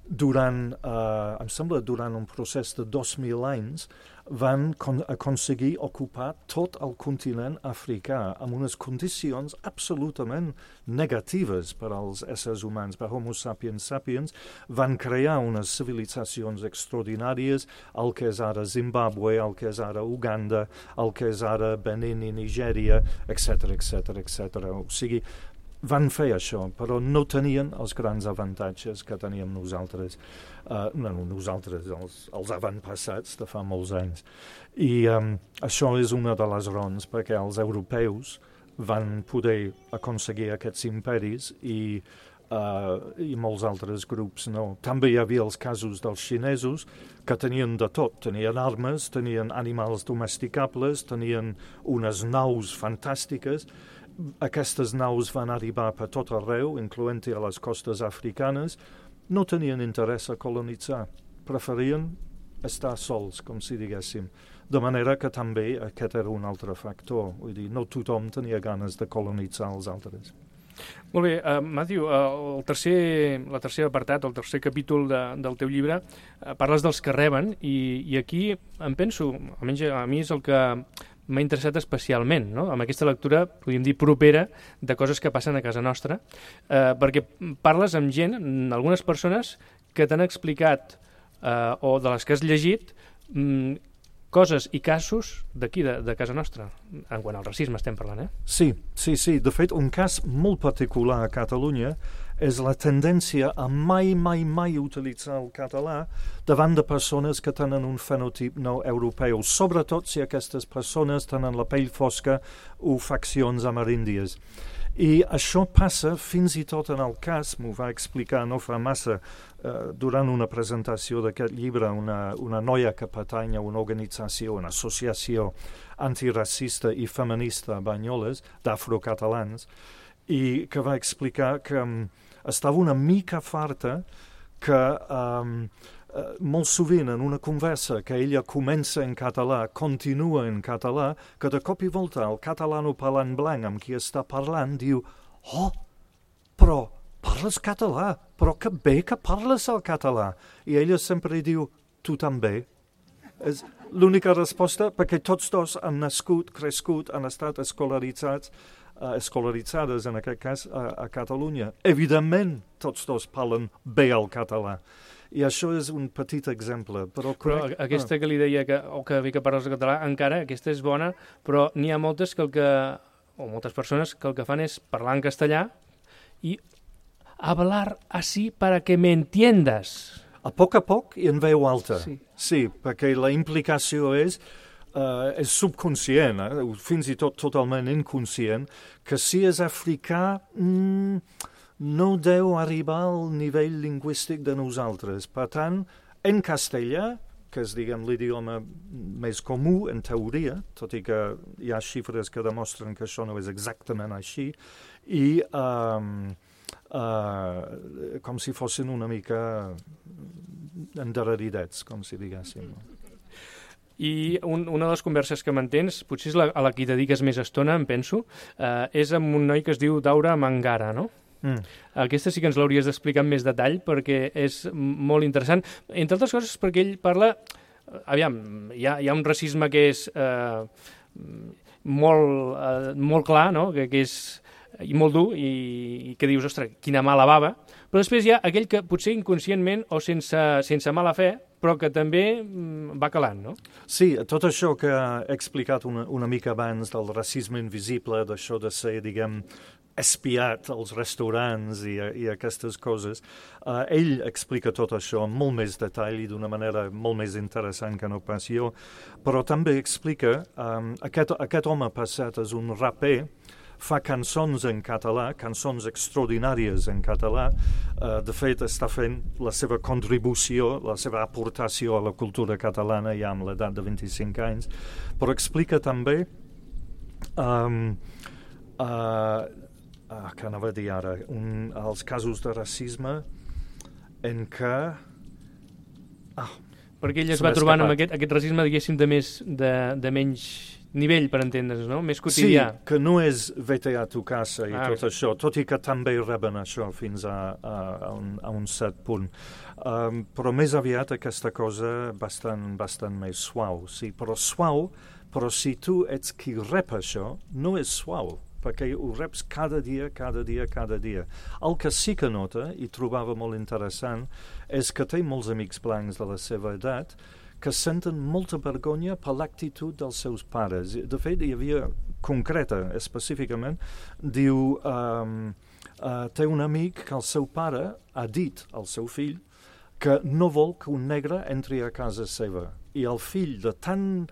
durant, uh, em sembla, durant un procés de dos mil anys, van con aconseguir ocupar tot el continent africà amb unes condicions absolutament negatives per als éssers humans, per Homo sapiens sapiens. Van crear unes civilitzacions extraordinàries, el que és ara Zimbabwe, el que és ara Uganda, el que és ara Benin i Nigèria, etcètera, etcètera, etcètera. O sigui, van fer això, però no tenien els grans avantatges que teníem nosaltres, uh, no, nosaltres, els, els avantpassats de fa molts anys. I um, això és una de les raons perquè els europeus van poder aconseguir aquests imperis i, uh, i molts altres grups no. També hi havia els casos dels xinesos que tenien de tot, tenien armes, tenien animals domesticables, tenien unes naus fantàstiques. Aquestes naus van arribar per tot arreu, incloent-hi a les costes africanes. No tenien interès a colonitzar, preferien estar sols, com si diguéssim. De manera que també aquest era un altre factor. Vull dir, no tothom tenia ganes de colonitzar els altres. Molt bé, uh, Matthew, uh, el tercer, la tercer apartat, el tercer capítol de, del teu llibre, uh, parles dels que reben, i, i aquí em penso, almenys a mi és el que m'ha interessat especialment, no? Amb aquesta lectura, podríem dir, propera de coses que passen a casa nostra, eh, perquè parles amb gent, algunes persones, que t'han explicat, eh, o de les que has llegit, mm, coses i casos d'aquí, de, de casa nostra, en quant al racisme estem parlant, eh? Sí, sí, sí. De fet, un cas molt particular a Catalunya és la tendència a mai, mai, mai utilitzar el català davant de persones que tenen un fenotip no europeu, sobretot si aquestes persones tenen la pell fosca o faccions ameríndies. I això passa fins i tot en el cas, m'ho va explicar no fa massa, eh, durant una presentació d'aquest llibre, una, una noia que pertany a una organització, una associació antiracista i feminista a Banyoles, d'afrocatalans, i que va explicar que um, estava una mica farta que um, uh, molt sovint en una conversa que ella comença en català, continua en català, que de cop i volta el catalano-parlant blanc amb qui està parlant diu «Oh, però parles català, però que bé que parles el català!» I ella sempre diu «Tu també». És l'única resposta perquè tots dos han nascut, crescut, han estat escolaritzats Uh, escolaritzades, en aquest cas, a, a Catalunya. Evidentment, tots dos parlen bé el català. I això és un petit exemple. Però, però crec... aquesta ah. que li deia, que, o que bé que parles el català, encara, aquesta és bona, però n'hi ha moltes que el que, o moltes persones que el que fan és parlar en castellà i hablar así para que me entiendas. A poc a poc i en veu alta. Sí, sí perquè la implicació és Uh, és subconscient, eh? Fins i tot totalment inconscient, que si és africà mm, no deu arribar al nivell lingüístic de nosaltres. Per tant, en castellà, que que és, diguem, l'idioma més comú, en teoria, tot i que hi ha xifres que demostren que això no és exactament així, i um, uh, com si fossin una mica endarreridets, com si diguéssim. I un, una de les converses que mantens, potser és la, a la que hi dediques més estona, em penso, eh, és amb un noi que es diu Daura Mangara, no? Mm. Aquesta sí que ens l'hauries d'explicar amb més detall perquè és molt interessant. Entre altres coses perquè ell parla... Aviam, hi ha, hi ha un racisme que és eh, molt, eh, molt clar, no? que, que és i molt dur i, i que dius, ostres, quina mala bava, però després hi ha aquell que potser inconscientment o sense, sense mala fe, però que també va calant, no? Sí, tot això que he explicat una, una mica abans del racisme invisible, d'això de ser, diguem, espiat als restaurants i, i aquestes coses, uh, ell explica tot això amb molt més detall i d'una manera molt més interessant que no pas jo, però també explica, um, aquest, aquest home passat és un raper, fa cançons en català, cançons extraordinàries en català. Uh, de fet, està fent la seva contribució, la seva aportació a la cultura catalana ja amb l'edat de vint-i-cinc anys, però explica també um, uh, uh, que anava a dir ara, un, els casos de racisme en què... Ah, perquè ell es va trobant amb aquest, aquest racisme, diguéssim, de, més, de, de menys... nivell, per entendre's, no? Més quotidià. Sí, que no és vete a tu casa i ah, tot sí. Això, tot i que també reben això fins a, a, a, un, a un cert punt. Um, però més aviat aquesta cosa bastant, bastant més suau, sí, però suau, però si tu ets qui rep això, no és suau, perquè ho reps cada dia, cada dia, cada dia. El que sí que nota, i trobava molt interessant, és que té molts amics blancs de la seva edat que senten molta vergonya per l'actitud dels seus pares. De fet, hi havia concreta, específicament, diu, um, uh, té un amic que el seu pare ha dit al seu fill que no vol que un negre entri a casa seva. I el fill, de tan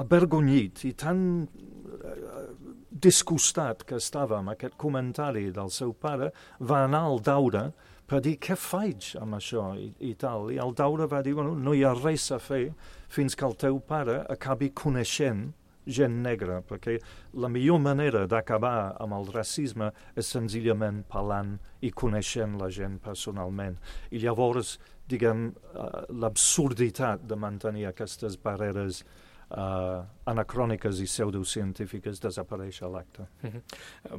avergonyit i tan uh, disgustat que estava amb aquest comentari del seu pare, va anar al Daura per dir, què faig amb això i, i tal. I el Daura va dir, bueno, no hi ha res a fer fins que el teu pare acabi coneixent gent negra, perquè la millor manera d'acabar amb el racisme és senzillament parlant i coneixent la gent personalment. I llavors, diguem, uh, l'absurditat de mantenir aquestes barreres Uh, anacròniques i pseudocientífiques desapareix a l'acte. Uh-huh.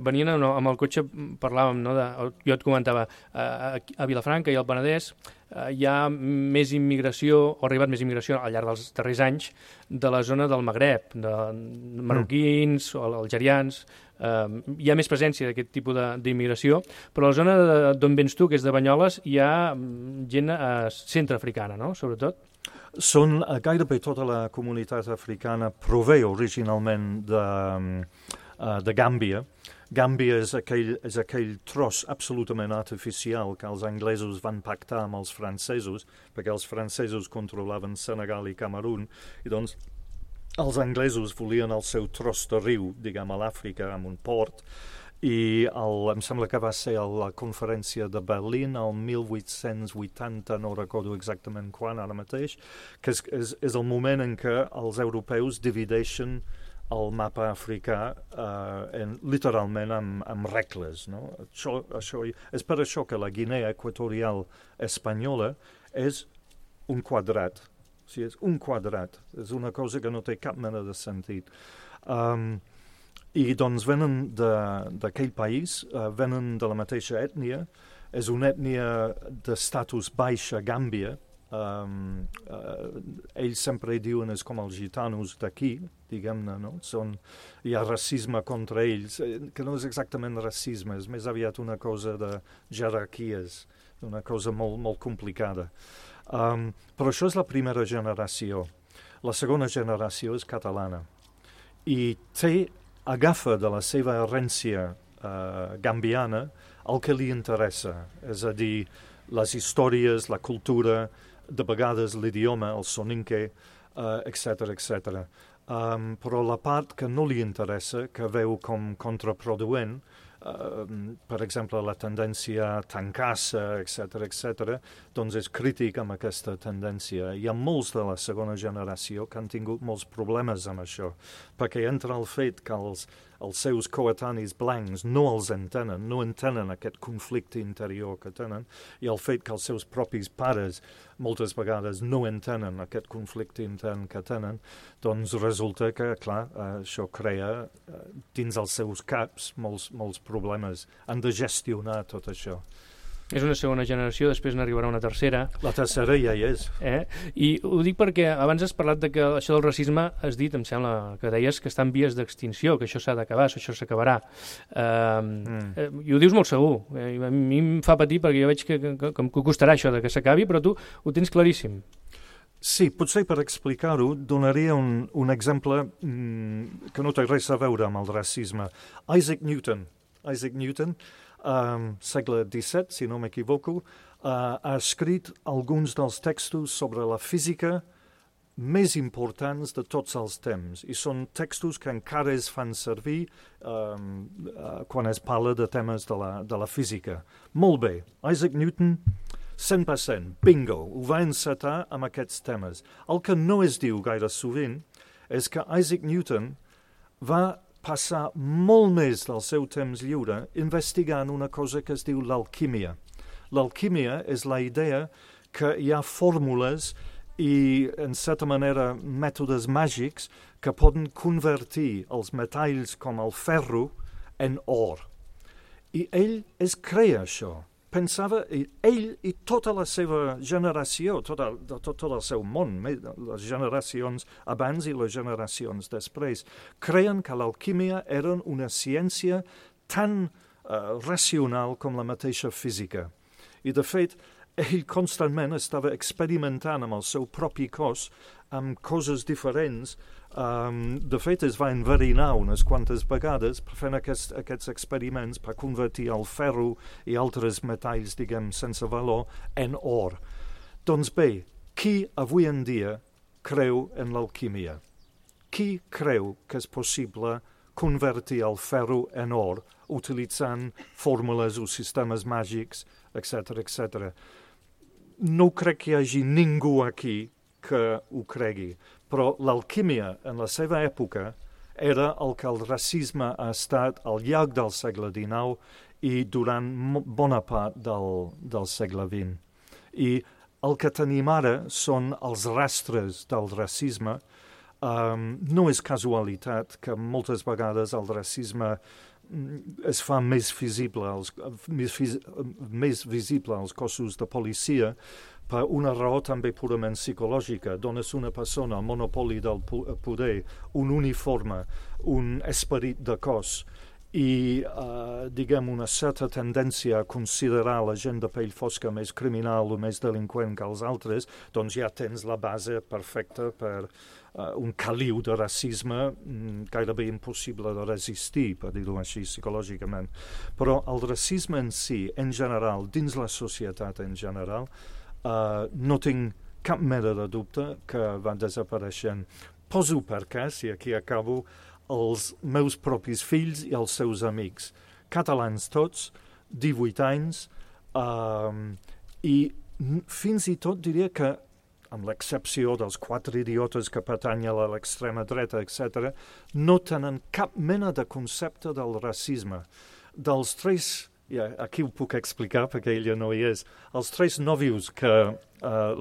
Venint no, amb el cotxe parlàvem, no, de, jo et comentava, uh, a Vilafranca i al Penedès uh, hi ha més immigració, o ha arribat més immigració al llarg dels darrers anys de la zona del Magreb, de marroquins mm. o algerians, uh, hi ha més presència d'aquest tipus d'immigració, però a la zona d'on vens tu, que és de Banyoles, hi ha gent uh, centreafricana, no?, sobretot. Són, uh, gairebé tota la comunitat africana prové originalment de, uh, de Gàmbia. Gàmbia és aquell, és aquell tros absolutament artificial que els anglesos van pactar amb els francesos, perquè els francesos controlaven Senegal i Camerún, i doncs els anglesos volien el seu tros de riu, diguem, a l'Àfrica, amb un port, i el, em sembla que va ser a la conferència de Berlín el mil vuit-cents vuitanta, no recordo exactament quan ara mateix, que és, és, és el moment en què els europeus divideixen el mapa africà eh, en, literalment amb, amb regles. No? Això, això, és per això que la Guinea Equatorial espanyola és un quadrat. O sigui, és un quadrat. És una cosa que no té cap mena de sentit. Um, I doncs venen d'aquell país, uh, venen de la mateixa ètnia, és una ètnia d'estatus baix a Gàmbia. Um, uh, ells sempre diuen és com els gitanos d'aquí, diguem-ne, no? Són, hi ha racisme contra ells, que no és exactament racisme, és més aviat una cosa de jerarquies, una cosa molt, molt complicada. Um, però això és la primera generació. La segona generació és catalana. I té agafa de la seva herència uh, gambiana el que li interessa, és a dir, les històries, la cultura, de vegades l'idioma, el soninke, uh, etcètera, etcètera. Um, però la part que no li interessa, que veu com contraproduent, uh, per exemple, la tendència a tancar-se, etcètera, etcètera, doncs és crític amb aquesta tendència. Hi ha molts de la segona generació que han tingut molts problemes amb això, perquè entre el fet que els, els seus coetanis blancs no els entenen, no entenen aquest conflicte interior que tenen, i el fet que els seus propis pares moltes vegades no entenen aquest conflicte intern que tenen, doncs resulta que, clar, eh, això crea eh, dins els seus caps molts, molts problemes. Han de gestionar tot això. És una segona generació, després n'arribarà una tercera. La tercera ja hi és. Eh? I ho dic perquè abans has parlat de que això del racisme, has dit, em sembla que deies que està en vies d'extinció, que això s'ha d'acabar, això s'acabarà. Uh, mm. eh, I ho dius molt segur. Eh, a mi em fa patir perquè jo veig que, que, que, que costarà això de que s'acabi, però tu ho tens claríssim. Sí, potser per explicar-ho donaria un, un exemple mm, que no té res a veure amb el racisme. Isaac Newton. Isaac Newton Um, segle disset, si no m'equivoco, uh, ha escrit alguns dels textos sobre la física més importants de tots els temps, i són textos que encara es fan servir um, uh, quan es parla de temes de la, de la física. Molt bé, Isaac Newton, cent per cent, bingo, ho va encetar amb aquests temes. El que no es diu gaire sovint és que Isaac Newton va passar molt més del seu temps lliure investigant una cosa que es diu l'alquímia. L'alquímia és la idea que hi ha fórmules i, en certa manera, mètodes màgics que poden convertir els metalls com el ferro en or. I ell es creia això. Pensava, ell i tota la seva generació, tot el, tot, tot el seu món, les generacions abans i les generacions després, creien que l'alquímia era una ciència tan uh, racional com la mateixa física. I, de fet, ell constantment estava experimentant amb el seu propi cos amb coses diferents. Um, de fet, es va enverinar unes quantes vegades fent aquest, aquests experiments per convertir el ferro i altres metalls, diguem, sense valor, en or. Doncs bé, qui avui en dia creu en l'alquímia? Qui creu que és possible convertir el ferro en or utilitzant fórmules o sistemes màgics, etcètera, etcètera? No crec que hi hagi ningú aquí que ho cregui, però l'alquímia en la seva època era el que el racisme ha estat al llarg del segle dinou i durant bona part del, del segle vint. I el que tenim ara són els rastres del racisme. Um, no és casualitat que moltes vegades el racisme es fa més visible, als, més, més visible als cossos de policia per una raó també purament psicològica. Dones una persona el monopoli del poder, un uniforme, un esperit de cos i, uh, diguem, una certa tendència a considerar la gent de pell fosca més criminal o més delinqüent que els altres, doncs ja tens la base perfecta per uh, un caliu de racisme mm, gairebé impossible de resistir, per dir-ho així, psicològicament. Però el racisme en si, en general, dins la societat en general, uh, no tinc cap mena de dubte que va desapareixent. Poso per cas, i aquí acabo, els meus propis fills i els seus amics, catalans tots, divuit anys, um, i fins i tot diria que, amb l'excepció dels quatre idiotes que pertanyen a l'extrema dreta, etcètera, no tenen cap mena de concepte del racisme. Dels tres, ja, aquí ho puc explicar perquè ella no hi és, els tres nòvios que uh,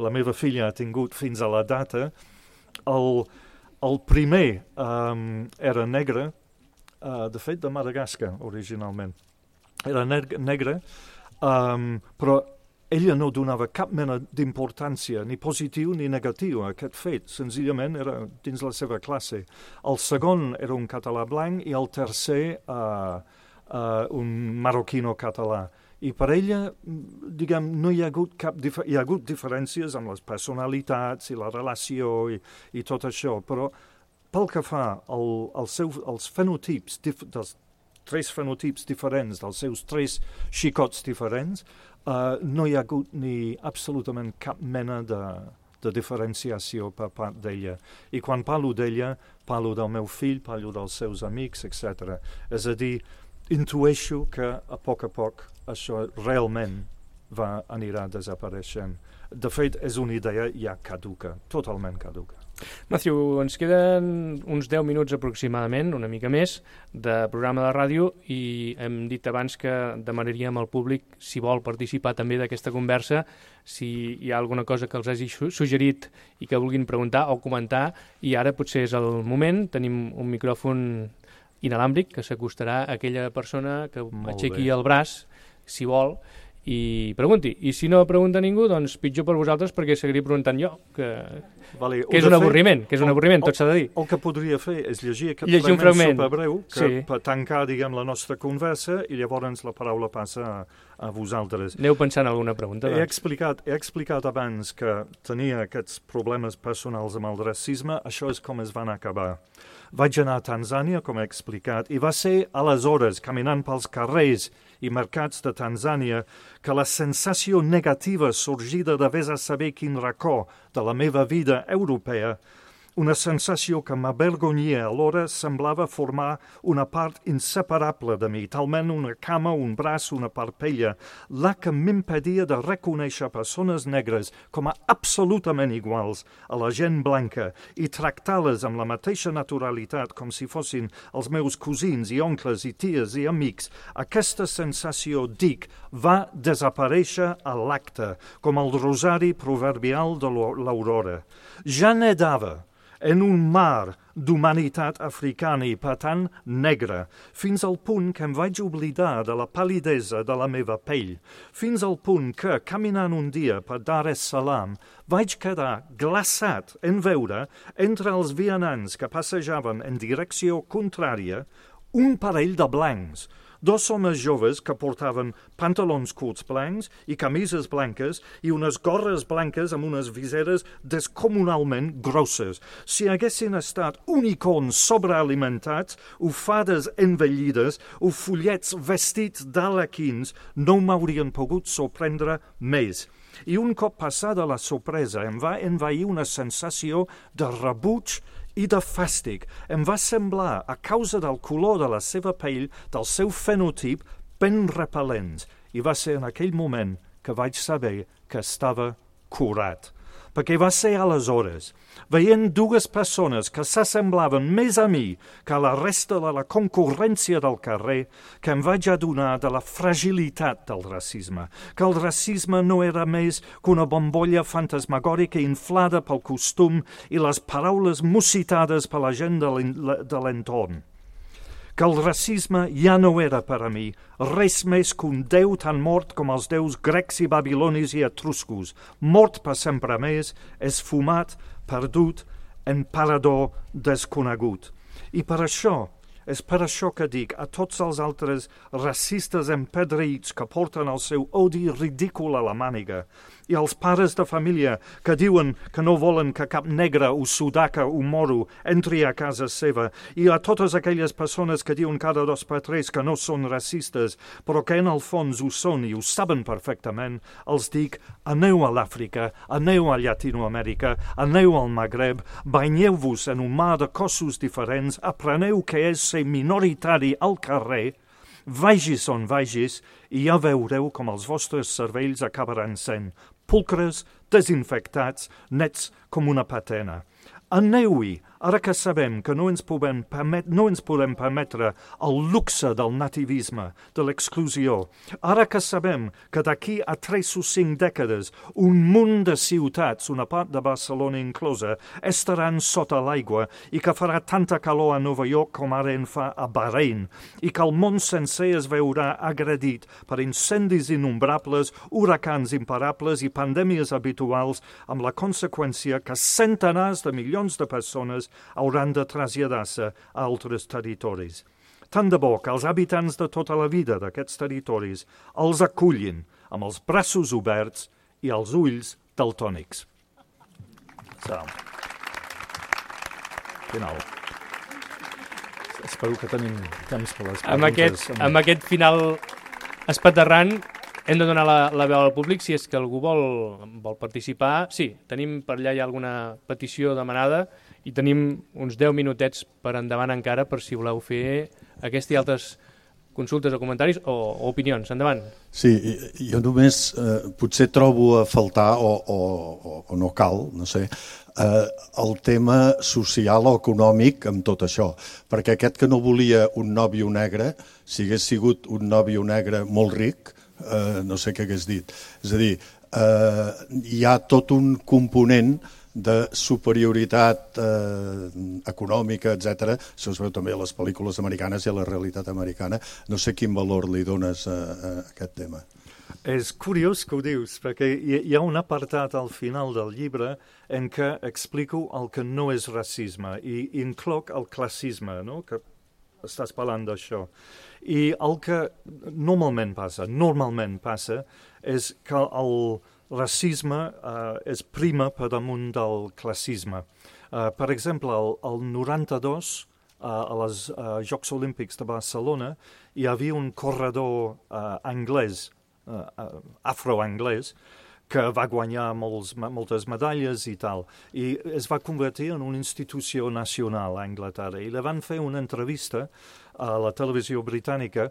la meva filla ha tingut fins a la data, el... El primer um, era negre, uh, de fet de Madagascar originalment. Era neg- negre, um, però ella no donava cap mena d'importància, ni positiu ni negatiu a aquest fet. Senzillament era dins la seva classe. El segon era un català blanc i el tercer uh, uh, un marroquino català. I per ella, diguem, no hi ha hagut cap dif- hi ha hagut diferències amb les personalitats i la relació i, i tot això, però pel que fa al, al seu, als fenotips, dif- dels tres fenotips diferents, dels seus tres xicots diferents, uh, no hi ha hagut ni absolutament cap mena de, de diferenciació per part d'ella. I quan parlo d'ella, parlo del meu fill, parlo dels seus amics, etcètera. És a dir, intueixo que a poc a poc això realment va anirà desapareixent. De fet, és una idea ja caduca, totalment caduca. Matthew, ens queden uns deu minuts aproximadament, una mica més, de programa de ràdio i hem dit abans que demanaríem al públic, si vol participar també d'aquesta conversa, si hi ha alguna cosa que els hagi suggerit i que vulguin preguntar o comentar, i ara potser és el moment, tenim un micròfon inalàmbric que s'acostarà a aquella persona que aixequi el braç, si vol, i pregunti. I si no pregunta ningú, doncs pitjor per vosaltres, perquè seguiria preguntant jo, que, vale, que és un avorriment, que és un avorriment, tot s'ha de dir. El que podria fer és llegir aquest llegir fragment superbreu que sí. per tancar, diguem, la nostra conversa i llavors la paraula passa a, a vosaltres. Aneu pensant en alguna pregunta. He doncs. explicat, he explicat abans que tenia aquests problemes personals amb el racisme, això és com es van acabar. Vaig anar a Tanzània, com he explicat, i va ser aleshores, caminant pels carrers i mercats de Tanzània, que la sensació negativa sorgida de vés a saber quin racó de la meva vida europea, una sensació que m'avergonyia alhora, semblava formar una part inseparable de mi, talment una cama, un braç, una parpella, la que m'impedia de reconèixer persones negres com a absolutament iguals a la gent blanca i tractar-les amb la mateixa naturalitat com si fossin els meus cosins i oncles i ties i amics. Aquesta sensació, dic, va desaparèixer a l'acte, com el rosari proverbial de l'aurora. Ja nedava en un mar d'humanitat africana i, per tant, negra, fins al punt que em vaig oblidar de la pal·lidesa de la meva pell, fins al punt que, caminant un dia per Dar es Salaam, vaig quedar glaçat en veure, entre els vianants que passejaven en direcció contrària, un parell de blancs, dos homes joves que portaven pantalons curts blancs i camises blanques i unes gorres blanques amb unes viseres descomunalment grosses. Si haguessin estat unicorns sobrealimentats, o fades envellides, o follets vestits d'arlequins, no m'haurien pogut sorprendre més. I un cop passada la sorpresa em va envair una sensació de rebuig i de fàstic. Em va semblar, a causa del color de la seva pell, del seu fenotip, ben repel·lents. I va ser en aquell moment que vaig saber que estava curat. Perquè va ser aleshores, veient dues persones que s'assemblaven més a mi que a la resta de la concurrència del carrer, que em vaig adonar de la fragilitat del racisme, que el racisme no era més que una bombolla fantasmagòrica inflada pel costum i les paraules musitades per la gent de l'entorn. Que el racisme ja no era per a mi res més que un déu tan mort com els déus grecs i babilonis i etruscos, mort per sempre més, esfumat, perdut, en parador desconegut. I per això, és per això que dic a tots els altres racistes empedreïts que porten el seu odi ridícul a la màniga, i als pares de família que diuen que no volen que cap negre o sudaca o moro entri a casa seva, i a totes aquelles persones que diuen cada dos per tres que no són racistes, però que en el fons ho són i ho saben perfectament, els dic, aneu a l'Àfrica, aneu a Llatinoamèrica, aneu al Magreb, banyeu-vos en un mar de cossos diferents, apreneu què és ser minoritari al carrer, vagis on vagis, i ja veureu com els vostres cervells acabaran sent pulcres, desinfectats, nets com una patena. Aneu-hi, ara que sabem que no ens, podem permet, no ens podem permetre el luxe del nativisme, de l'exclusió. Ara que sabem que d'aquí a tres o cinc dècades un munt de ciutats, una part de Barcelona inclosa, estaran sota l'aigua i que farà tanta calor a Nova York com ara en fa a Bahrein, i que el món sencer es veurà agredit per incendis innombrables, huracans imparables i pandèmies habituals, amb la conseqüència que centenars de milions de persones hauran de traslladar-se a altres territoris. Tant de bo que els habitants de tota la vida d'aquests territoris els acullin amb els braços oberts i els ulls daltònics. So. Final. Espero que tenim temps per les preguntes. Amb aquest, amb aquest final espaterrant hem de donar la, la veu al públic si és que algú vol, vol participar. Sí, tenim per allà ja alguna petició demanada i tenim uns deu minutets per endavant encara per si voleu fer aquesta i altres consultes o comentaris o, o opinions. Endavant. Sí, jo només eh, potser trobo a faltar, o, o, o no cal, no sé, eh, el tema social o econòmic amb tot això, perquè aquest que no volia un nòvio negre, si hagués sigut un nòvio negre molt ric, eh, no sé què hagués dit. És a dir, eh, hi ha tot un component de superioritat eh, econòmica, etcètera. Això es veu també a les pel·lícules americanes i a la realitat americana. No sé quin valor li dones a, a aquest tema. És curiós que ho dius, perquè hi ha un apartat al final del llibre en què explico el que no és racisme i incloc el classisme, no? Que estàs parlant d'això. I el que normalment passa, normalment passa, és que el racisme uh, és prima per damunt del classisme. Uh, per exemple, el, el noranta-dos, uh, a les uh, Jocs Olímpics de Barcelona, hi havia un corredor uh, anglès, uh, uh, afroanglès, que va guanyar molts, moltes medalles i tal, i es va convertir en una institució nacional a Anglaterra. I li van fer una entrevista a la televisió britànica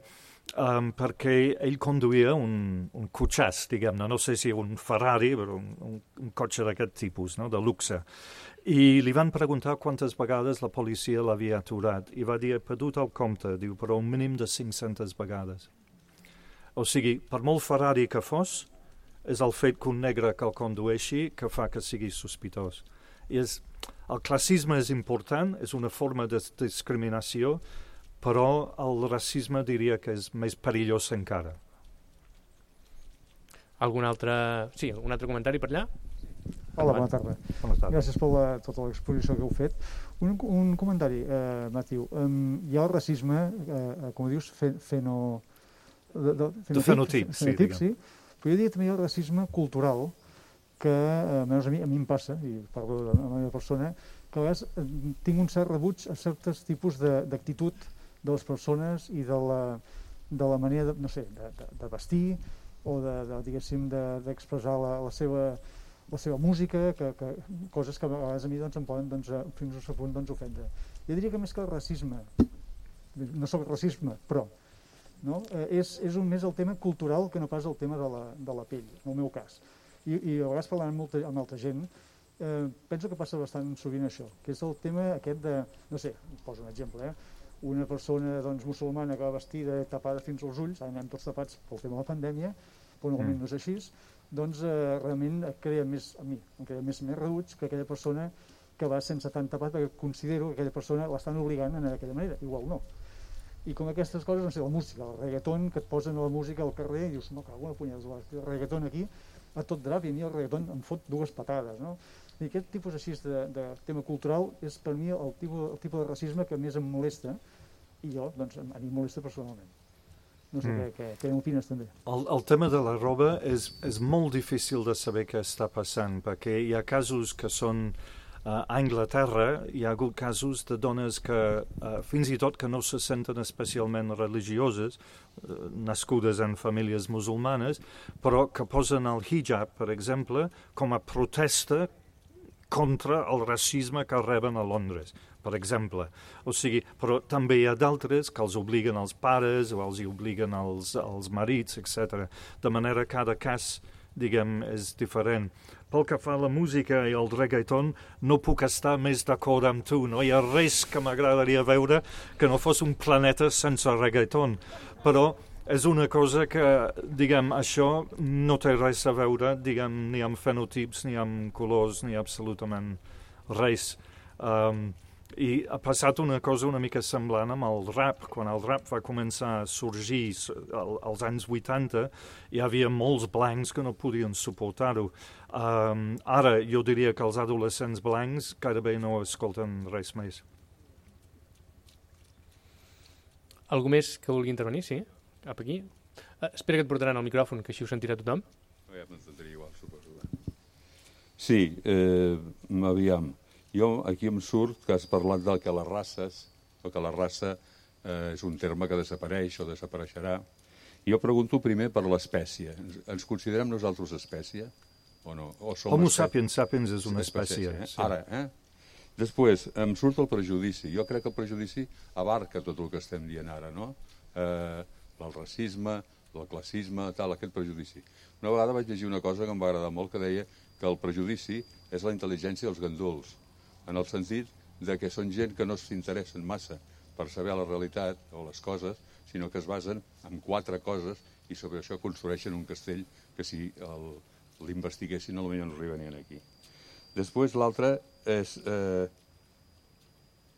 Um, perquè ell conduïa un, un cotxàs, diguem-ne, no sé si un Ferrari, però un, un, un cotxe d'aquest tipus, no? De luxe. I li van preguntar quantes vegades la policia l'havia aturat, i va dir, he perdut el compte, diu, però un mínim de cinc-centes vegades. O sigui, per molt Ferrari que fos, és el fet que un negre que el condueixi que fa que sigui sospitós. I és, el classisme és important, és una forma de discriminació, però el racisme diria que és més perillós encara. Algun altre... Sí, un altre comentari per allà? Hola, bona tarda. Bona tarda. Gràcies per la, tota l'exposició que heu fet. Un, un comentari, eh, Matiu. Um, hi ha el racisme, eh, com dius, fe, feno... De, de, fenotip, de fenotip, sí, fenotip, sí. Però jo diria també hi ha el racisme cultural, que eh, almenys a mi, a mi em passa, i parlo de la meva persona, que a vegades eh, tinc un cert rebuig a certs tipus d'actitud de les persones i de la, de la manera, de, no sé, de, de, de vestir o de, de diguéssim, d'expressar de, la, la, seva, la seva música, que, que, coses que a vegades a mi doncs, em poden doncs, fins a un punt doncs, ofendre. Jo diria que més que el racisme, no soc racisme, però no? eh, és, és un més el tema cultural que no pas el tema de la, de la pell, en el meu cas. I, i a vegades parlant amb molta, amb altra gent, eh, penso que passa bastant sovint això, que és el tema aquest de, no sé, poso un exemple, eh? Una persona doncs, musulmana que va vestida tapada fins als ulls, ara anem tots tapats pel tema de la pandèmia, però normalment no és així, doncs eh, realment crea més, a mi, em crea més, més rebuig que aquella persona que va sense tant tapat, perquè considero que aquella persona l'estan obligant en aquella manera, igual no. I com aquestes coses, no sé, la música, el reggaeton, que et posen a la música al carrer i dius, no, cago una punyada, el reggaeton aquí, a tot drap, i a mi el reggaeton em fot dues patades, no? I aquest tipus així de, de tema cultural és per mi el tipus, el tipus de racisme que més em molesta, i jo, doncs, a mi em molesta personalment. No sé mm. què, què, què opines també. El, el tema de la roba és, és molt difícil de saber què està passant, perquè hi ha casos que són uh, a Anglaterra, hi ha hagut casos de dones que, uh, fins i tot que no se senten especialment religioses, uh, nascudes en famílies musulmanes, però que posen el hijab, per exemple, com a protesta contra el racisme que reben a Londres, per exemple. O sigui, però també hi ha d'altres que els obliguen els pares o els obliguen els, els marits, etcètera. De manera que cada cas, diguem, és diferent. Pel que fa a la música i el reggaeton, no puc estar més d'acord amb tu. No hi ha res que m'agradaria veure que no fos un planeta sense reggaeton. Però és una cosa que, diguem, això no té res a veure, diguem, ni amb fenotips, ni amb colors, ni absolutament res. Um, I ha passat una cosa una mica semblant amb el rap. Quan el rap va començar a sorgir als anys vuitanta, hi havia molts blancs que no podien suportar-ho. Um, ara, jo diria que els adolescents blancs gairebé no escolten res més. Algú més que vulgui intervenir? Sí? Cap aquí. Uh, espera que et portaran el micròfon, que així ho sentirà tothom. Ja m'entendria igual, suposo. Sí, eh, aviam. Jo aquí em surt que has parlat del que les races, o que la raça eh, és un terme que desapareix o desapareixerà. Jo pregunto primer per l'espècie. Ens, ens considerem nosaltres espècie o no? O som Homo espècie? sapiens sapiens és una espècie. espècie eh? Sí. Ara, eh? Després, em surt el prejudici. Jo crec que el prejudici abarca tot el que estem dient ara, no? eh, el racisme, el classisme, tal, aquest prejudici. Una vegada vaig llegir una cosa que em va agradar molt, que deia que el prejudici és la intel·ligència dels ganduls, en el sentit de que són gent que no s'interessen massa per saber la realitat o les coses, sinó que es basen en quatre coses i sobre això construeixen un castell que si l'investiguessin potser no arribarien aquí. Després l'altre és eh,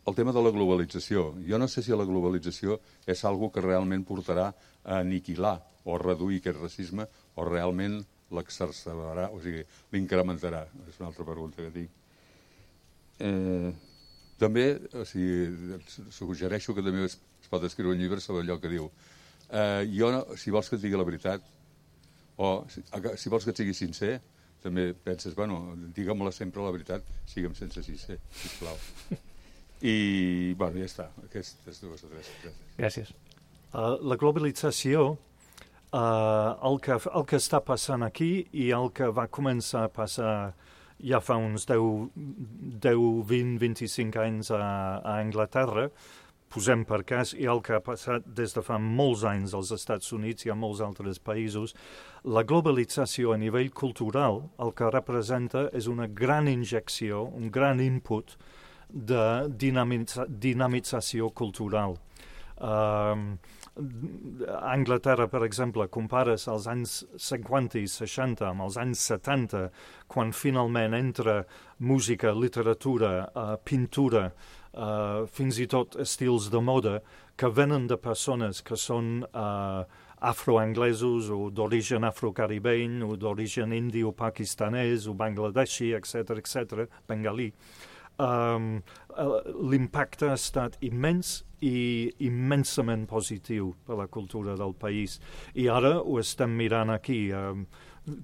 el tema de la globalització. Jo no sé si la globalització és algo que realment portarà a aniquilar o a reduir aquest racisme o realment l'exercerà, o sigui, l'incrementarà. És una altra pregunta que tinc. Eh, també, o sigui, suggereixo que també es, es pot escriure un llibre sobre allò que diu. Eh, jo, no, si vols que et digui la veritat, o si, si vols que et sigui sincer, també penses, bueno, digue-me-la sempre la veritat, sigue'm sense sincer, sisplau. I, bueno, ja està, aquestes dues o tres. Gràcies. Uh, la globalització, uh, el, que, el que està passant aquí i el que va començar a passar ja fa uns deu, vint, vint-i-cinc anys a, a Anglaterra, posem per cas, i el que ha passat des de fa molts anys als Estats Units i a molts altres països, la globalització a nivell cultural el que representa és una gran injecció, un gran input de dinamitza, dinamització cultural. Uh, a Anglaterra, per exemple, compares els anys cinquanta i seixanta amb els anys setanta, quan finalment entra música, literatura, uh, pintura, Uh, fins i tot estils de moda que venen de persones que són uh, afroanglesos o d'origen afrocaribeny o d'origen indi o pakistanès o bangladeshi, etcètera, etcètera, bengalí. Um, l'impacte ha estat immens i immensament positiu per la cultura del país. I ara ho estem mirant aquí. Um,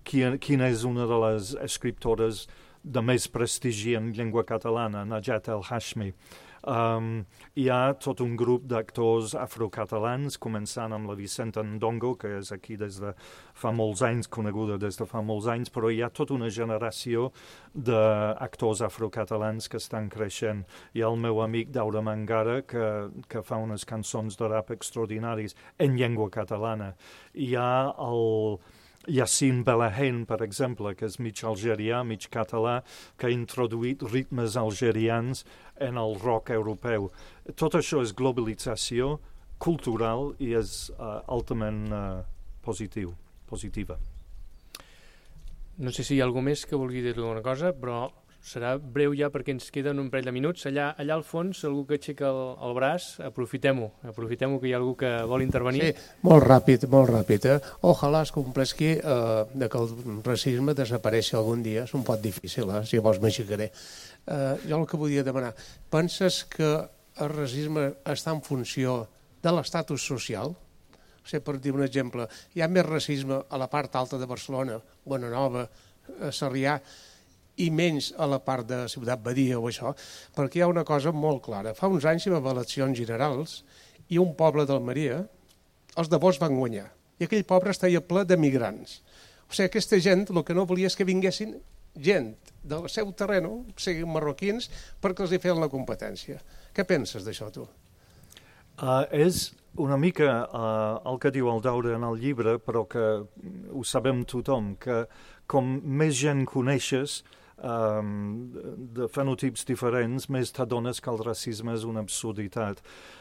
quina, quina és una de les escriptores de més prestigi en llengua catalana, Najat El Hashmi. Um, hi ha tot un grup d'actors afrocatalans, començant amb la Vicenta Ndongo, que és aquí des de fa molts anys, coneguda des de fa molts anys, però hi ha tota una generació d'actors afrocatalans que estan creixent. Hi ha el meu amic Daura Mangara, que, que fa unes cançons de rap extraordinaris en llengua catalana. Hi ha el Yassine Belahen, per exemple, que és mig algerià, mig català, que ha introduït ritmes algerians en el rock europeu. Tot això és globalització cultural i és uh, altament uh, positiu, positiva. No sé si hi ha algú més que vulgui dir alguna cosa, però serà breu ja perquè ens queden un parell de minuts. Allà, allà al fons, algú que aixeca el, el braç, aprofitem-ho, aprofitem-ho que hi ha algú que vol intervenir. Sí, molt ràpid, molt ràpid. Eh? Ojalà es complesqui eh, de que el racisme desapareixi algun dia. És un pot difícil, eh? Si vols m'aixecaré. Eh, jo el que volia demanar, penses que el racisme està en funció de l'estatus social? O sigui, per dir un exemple, hi ha més racisme a la part alta de Barcelona, Bonanova, Sarrià, i menys a la part de Ciutat Badia o això, perquè hi ha una cosa molt clara. Fa uns anys hi va haver eleccions generals i un poble d'Almeria, els de Vox van guanyar, i aquell poble estava ple de migrants. O sigui, aquesta gent el que no volia és que vinguessin gent del seu terreny, siguin marroquins, perquè els hi feien la competència. Què penses d'això, tu? Uh, és una mica uh, el que diu el Daura en el llibre, però que ho sabem tothom, que com més gent coneixes, Um, de fenotips diferents, més t'adones que el racisme és una absurditat.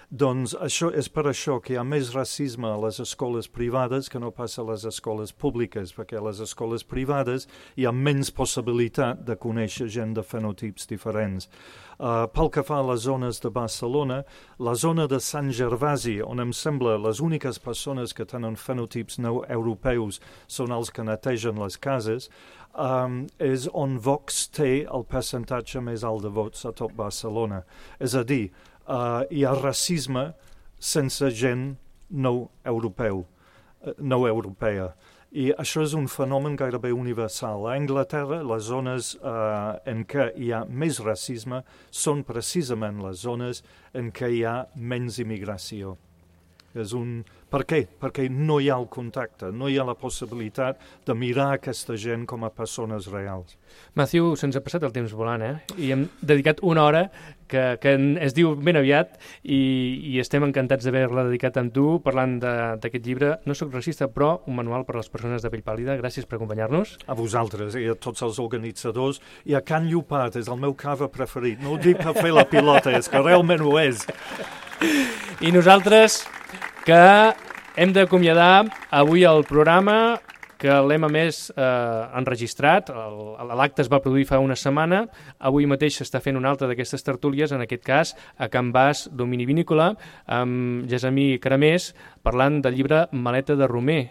Doncs això és per això que hi ha més racisme a les escoles privades que no passa a les escoles públiques, perquè a les escoles privades hi ha menys possibilitat de conèixer gent de fenotips diferents. Uh, pel que fa a les zones de Barcelona, la zona de Sant Gervasi, on em sembla les úniques persones que tenen fenotips no europeus són els que netegen les cases, Um, és on Vox té el percentatge més alt de vots a tot Barcelona. És a dir, uh, hi ha racisme sense gent no europeu, uh, no europea. I això és un fenomen gairebé universal. A Anglaterra, les zones uh, en què hi ha més racisme són precisament les zones en què hi ha menys immigració. És un... Per què? Perquè no hi ha el contacte, no hi ha la possibilitat de mirar aquesta gent com a persones reals. Matthew, se'ns ha passat el temps volant, eh? I hem dedicat una hora que, que es diu ben aviat i, i estem encantats d'haver-la dedicat amb tu parlant d'aquest llibre. No soc racista, però un manual per a les persones de pell pàl·lida. Gràcies per acompanyar-nos. A vosaltres i a tots els organitzadors. I a Can Llopat, és el meu cava preferit. No ho dic per fer la pilota, és que realment ho és. I nosaltres, que hem d'acomiadar avui el programa, que l'hem a més eh, enregistrat, l'acte es va produir fa una setmana, avui mateix s'està fent una altra d'aquestes tertúlies, en aquest cas a Can Bas Domini Vinícola, amb Gessamí Caramés, parlant del llibre Maleta de Romer,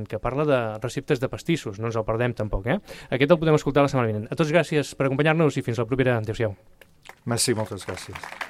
que parla de receptes de pastissos, no ens el perdem tampoc, eh? Aquest el podem escoltar la setmana vinent. A tots gràcies per acompanyar-nos i fins la propera. Adéu-siau. Merci, moltes gràcies.